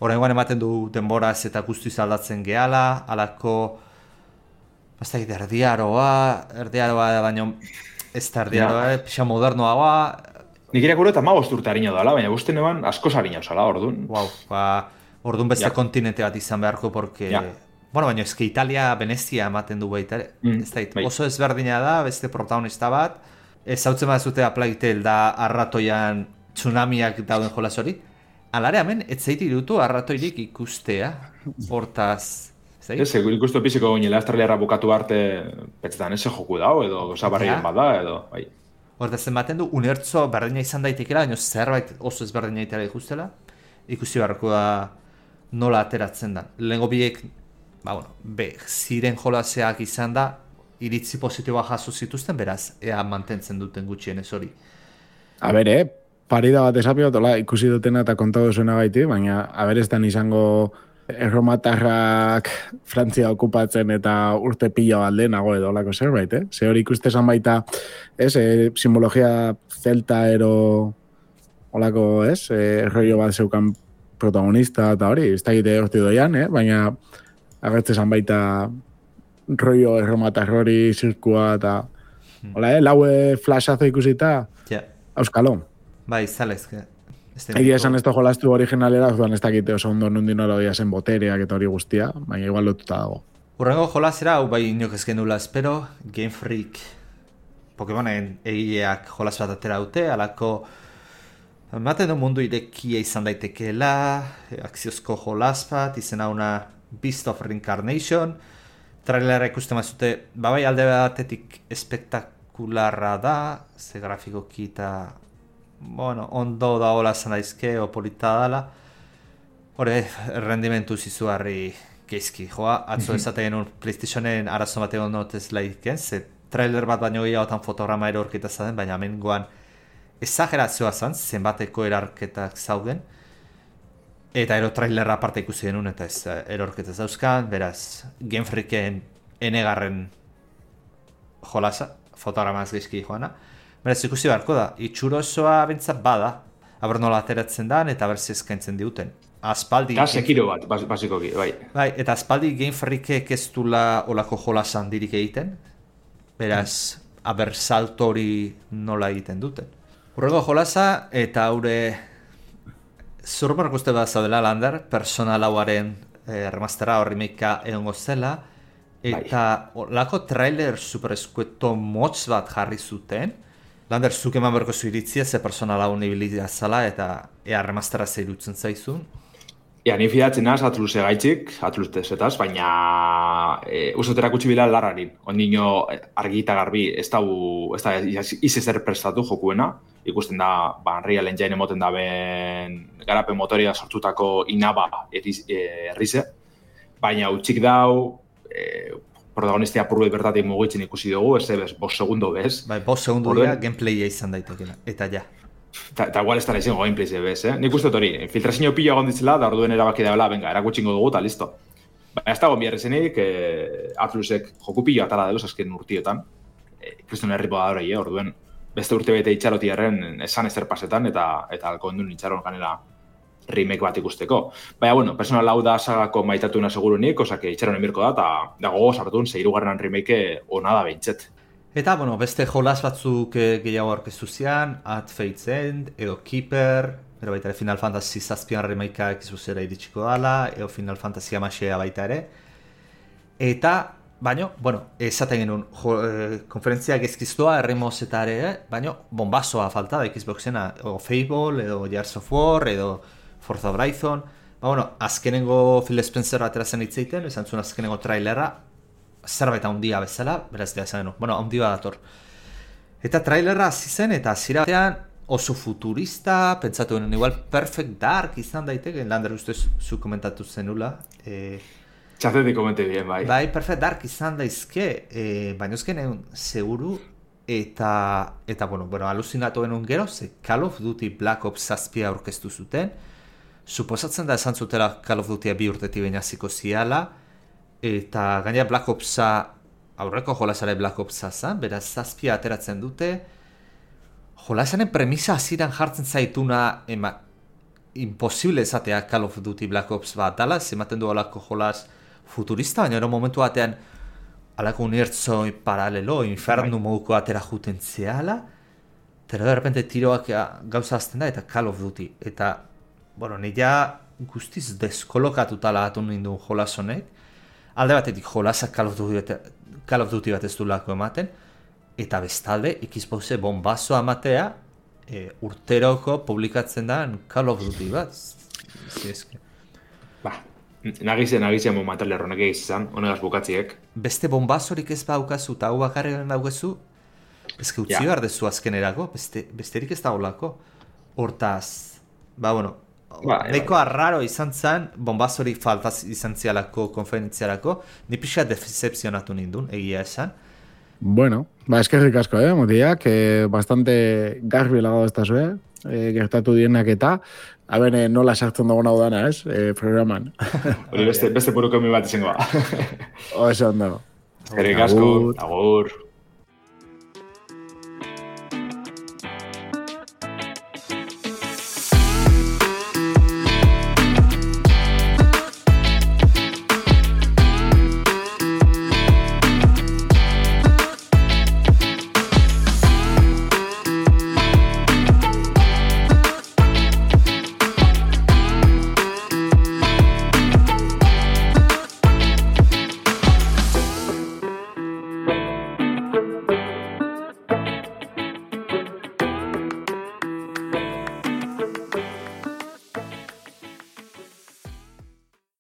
oraingoan ematen du denboraz eta guztiz aldatzen gehala, alako erdiaroa da baino ez da erdiaroa, pixa modernoagoa. Nik irakurri eta 15 urte harina dela, baina guztien eban askoz harina osala, orduan. Orduan beste kontinente bat izan beharko, porque... baina ezke Italia, Venezia ematen du baita, oso ezberdina da, beste protagonista bat, ez hautzen bat zute A Plague Tale da arratoian tsunamiak dauden jolas hori, alare hemen, ez zaiti dutu arratoirik ikustea, hortaz... Ez, ikustu piziko ginela Australiarra bukatu arte, petzetan eze joku dao, edo zabarrien bat da, edo... Hortaz ematen du, unertzo berdina izan daitekela, baina zerbait oso ezberdina itera ikustela, ikusi beharko da nola ateratzen da. Lehengo biek, ziren jolaseak izan da, iritzi positiboa jaso zituzten, beraz, ea mantentzen duten gutxienez hori. Parida bat esapiot, ikusi dutena eta kontatu zuena gaiti, baina, ez dan izango erromatarrak Frantzia okupatzen eta urte pila bat lehenago edo olako zerbait, Ze hori ikustezan baita, simbologia celta ero olako, rollo bat zeukan protagonista eta hori, ez da egite horti doian, baina agertzezan baita rollo erromatar hori zirkua eta laue flashazo ikusita, auskalo. Zalezke. Egia esan ez da jolastu originalera, ez dakite oso ondo nundin hori zen botereak eta hori guztia, baina igual lotuta dago. Urrengo jolasera, hau inok ez genula espero, Game Freak Pokemonen egileak jolas bat atera dute, alako ematen du mundu irekia izan daitekeela, akziozko jolas bat, izena una Beast of Reincarnation, trailera ikusten mazute, alde batetik espektakularra da, ze grafikoki eta ondo da hola zan daizke, polita dala. Hore, rendimentu zizuarri geizki, atzo ezaten un PlayStationen arazo bat egon notez laiken, ze trailer bat baino gehiagotan fotograma erorketa zaden, baina amengoan ezagerazioa zan, zenbateko erarketak zauden, eta trailerra aparte ikusi denun, eta ez erorketa zauzkan, beraz, Game Freaken enegarren jolasa, fotogramaz geizki joana, beraz, ikusi beharko da, itxuro osoa bentzat bada, aber nola ateratzen dan, eta berzi eskaintzen diuten. Aspaldi... Sekiro bat, basikoki, bai. Eta aspaldi Game Freakek ez dula olako jolasan dirik egiten, beraz, aber salto hori nola egiten duten. Urrengo jolasa, eta haure... Zurmarko uste bat zaudela, Lander, Persona lauaren remastera horri meika egongo zela, eta olako trailer supereskueto motz bat jarri zuten, Lander, zuk eman berko zu iritzia, ze Persona laun ibilidia zala, eta ea remastera zeirutzen zaizun? Ni fidatzen naz, Atluse gaitzik, Atlusetaz, baina usotera kutsi bila larrarin. Ondino argi eta garbi ez da izezer prestatu jokuena. Ikusten da, Unreal Engine emoten da ben garapen motoria sortutako inaba errize. Baina utxik dau, protagonistia apurru bertatik mugitzen ikusi dugu, ez bez, 5 segundo bez. Bai, 5 segundo dira gameplaya izan daitekela, eta ja. Eta igual ez da izango gameplay bez, Nik uste hori, filtrazio pila gonditzela, da orduen erabaki daula, venga, erakutxingo dugu, eta listo. Baina ez dago biarrezenik, Atlusek joku pila atara delos azken urtiotan. Kriston herripo da hori, orduen beste urte bete itxarotiarren esan ezer pasetan, eta alko endun itxaron ganela remake bat ikusteko. Baina, bueno, personal hau da sagako maitatuna segurunik, osake itxaron emirko da, eta gogo sartun, 6. remake ona da behintzet. Eta, bueno, beste jolas batzuk gehiago aurkeztu zian, At Fate's End, edo Keeper, edo baita ere Final Fantasy 7 remakea ekizuzera iritsiko dala, edo Final Fantasy 16 baita ere. Eta, baina, bueno, esaten genuen, konferentzia gezkiztua erremoz eta ere, baina, bombazoa falta da Xboxena, edo Fable, edo Gears of War, edo Forza Horizon. Bueno, azkenengo Phil Spencer aterazen hitzeiten, esan zuen azkenengo trailera, zerbait handia bezala, beraz da esan genuen, bueno, handia dator. Eta trailerra hasi zen, eta hasiera batean oso futurista, pentsatu genuen, igual Perfect Dark izan daiteke, Lander ustez zu komentatu zenula. Txatetik komente bien, bai. Bai, Perfect Dark izan daizke, baina ezken egun seguru, eta bueno, aluzinatu genuen gero, ze Call of Duty Black Ops 7 aurkeztu zuten, suposatzen da esan zutela Call of Dutya 2 urtetik baina ziko ziala, eta gainera Black Opsa, aurreko jolasare Black Opsa zan, beraz 7 ateratzen dute, jolasanen premisa hasieran jartzen zaituna, imposible esatea Call of Duty Black Ops bat dala, ematen du alako jolas futurista, baina ero momentu batean alako unibertsoi paralelo, infernu moduko atera juten zehala, eta de repente tiroak gauza azten da, eta Call of Duty, eta bueno, nila guztiz deskolokatuta lagatu nindun jolas honek, alde batetik jolasa Call of Duty bat ez du lako ematen, eta bestalde Xboxe bombazoa ematea urteroko publikatzen da Call of Duty bat. Nagizen momental erronek egizan, honegaz bukatziek. Beste bombazorik ez baukazu, eta hau bakarren daukazu, ezke utzi behar dezu azkenerako, besterik ez da holako. Hortaz, bueno, nahiko arraro izan zen, bombazorik faltaz izan zialako konferentziarako, ni pixa decepzionatu nindun, egia esan. Bueno, eskerrik asko, motiak, bastante garbi lago ez da zue, gertatu dienak eta, nola sartzen dago hau dana, ez, programan. Hori beste buruko mi bat izango. Oso ondo. Eskerrik asko, agur.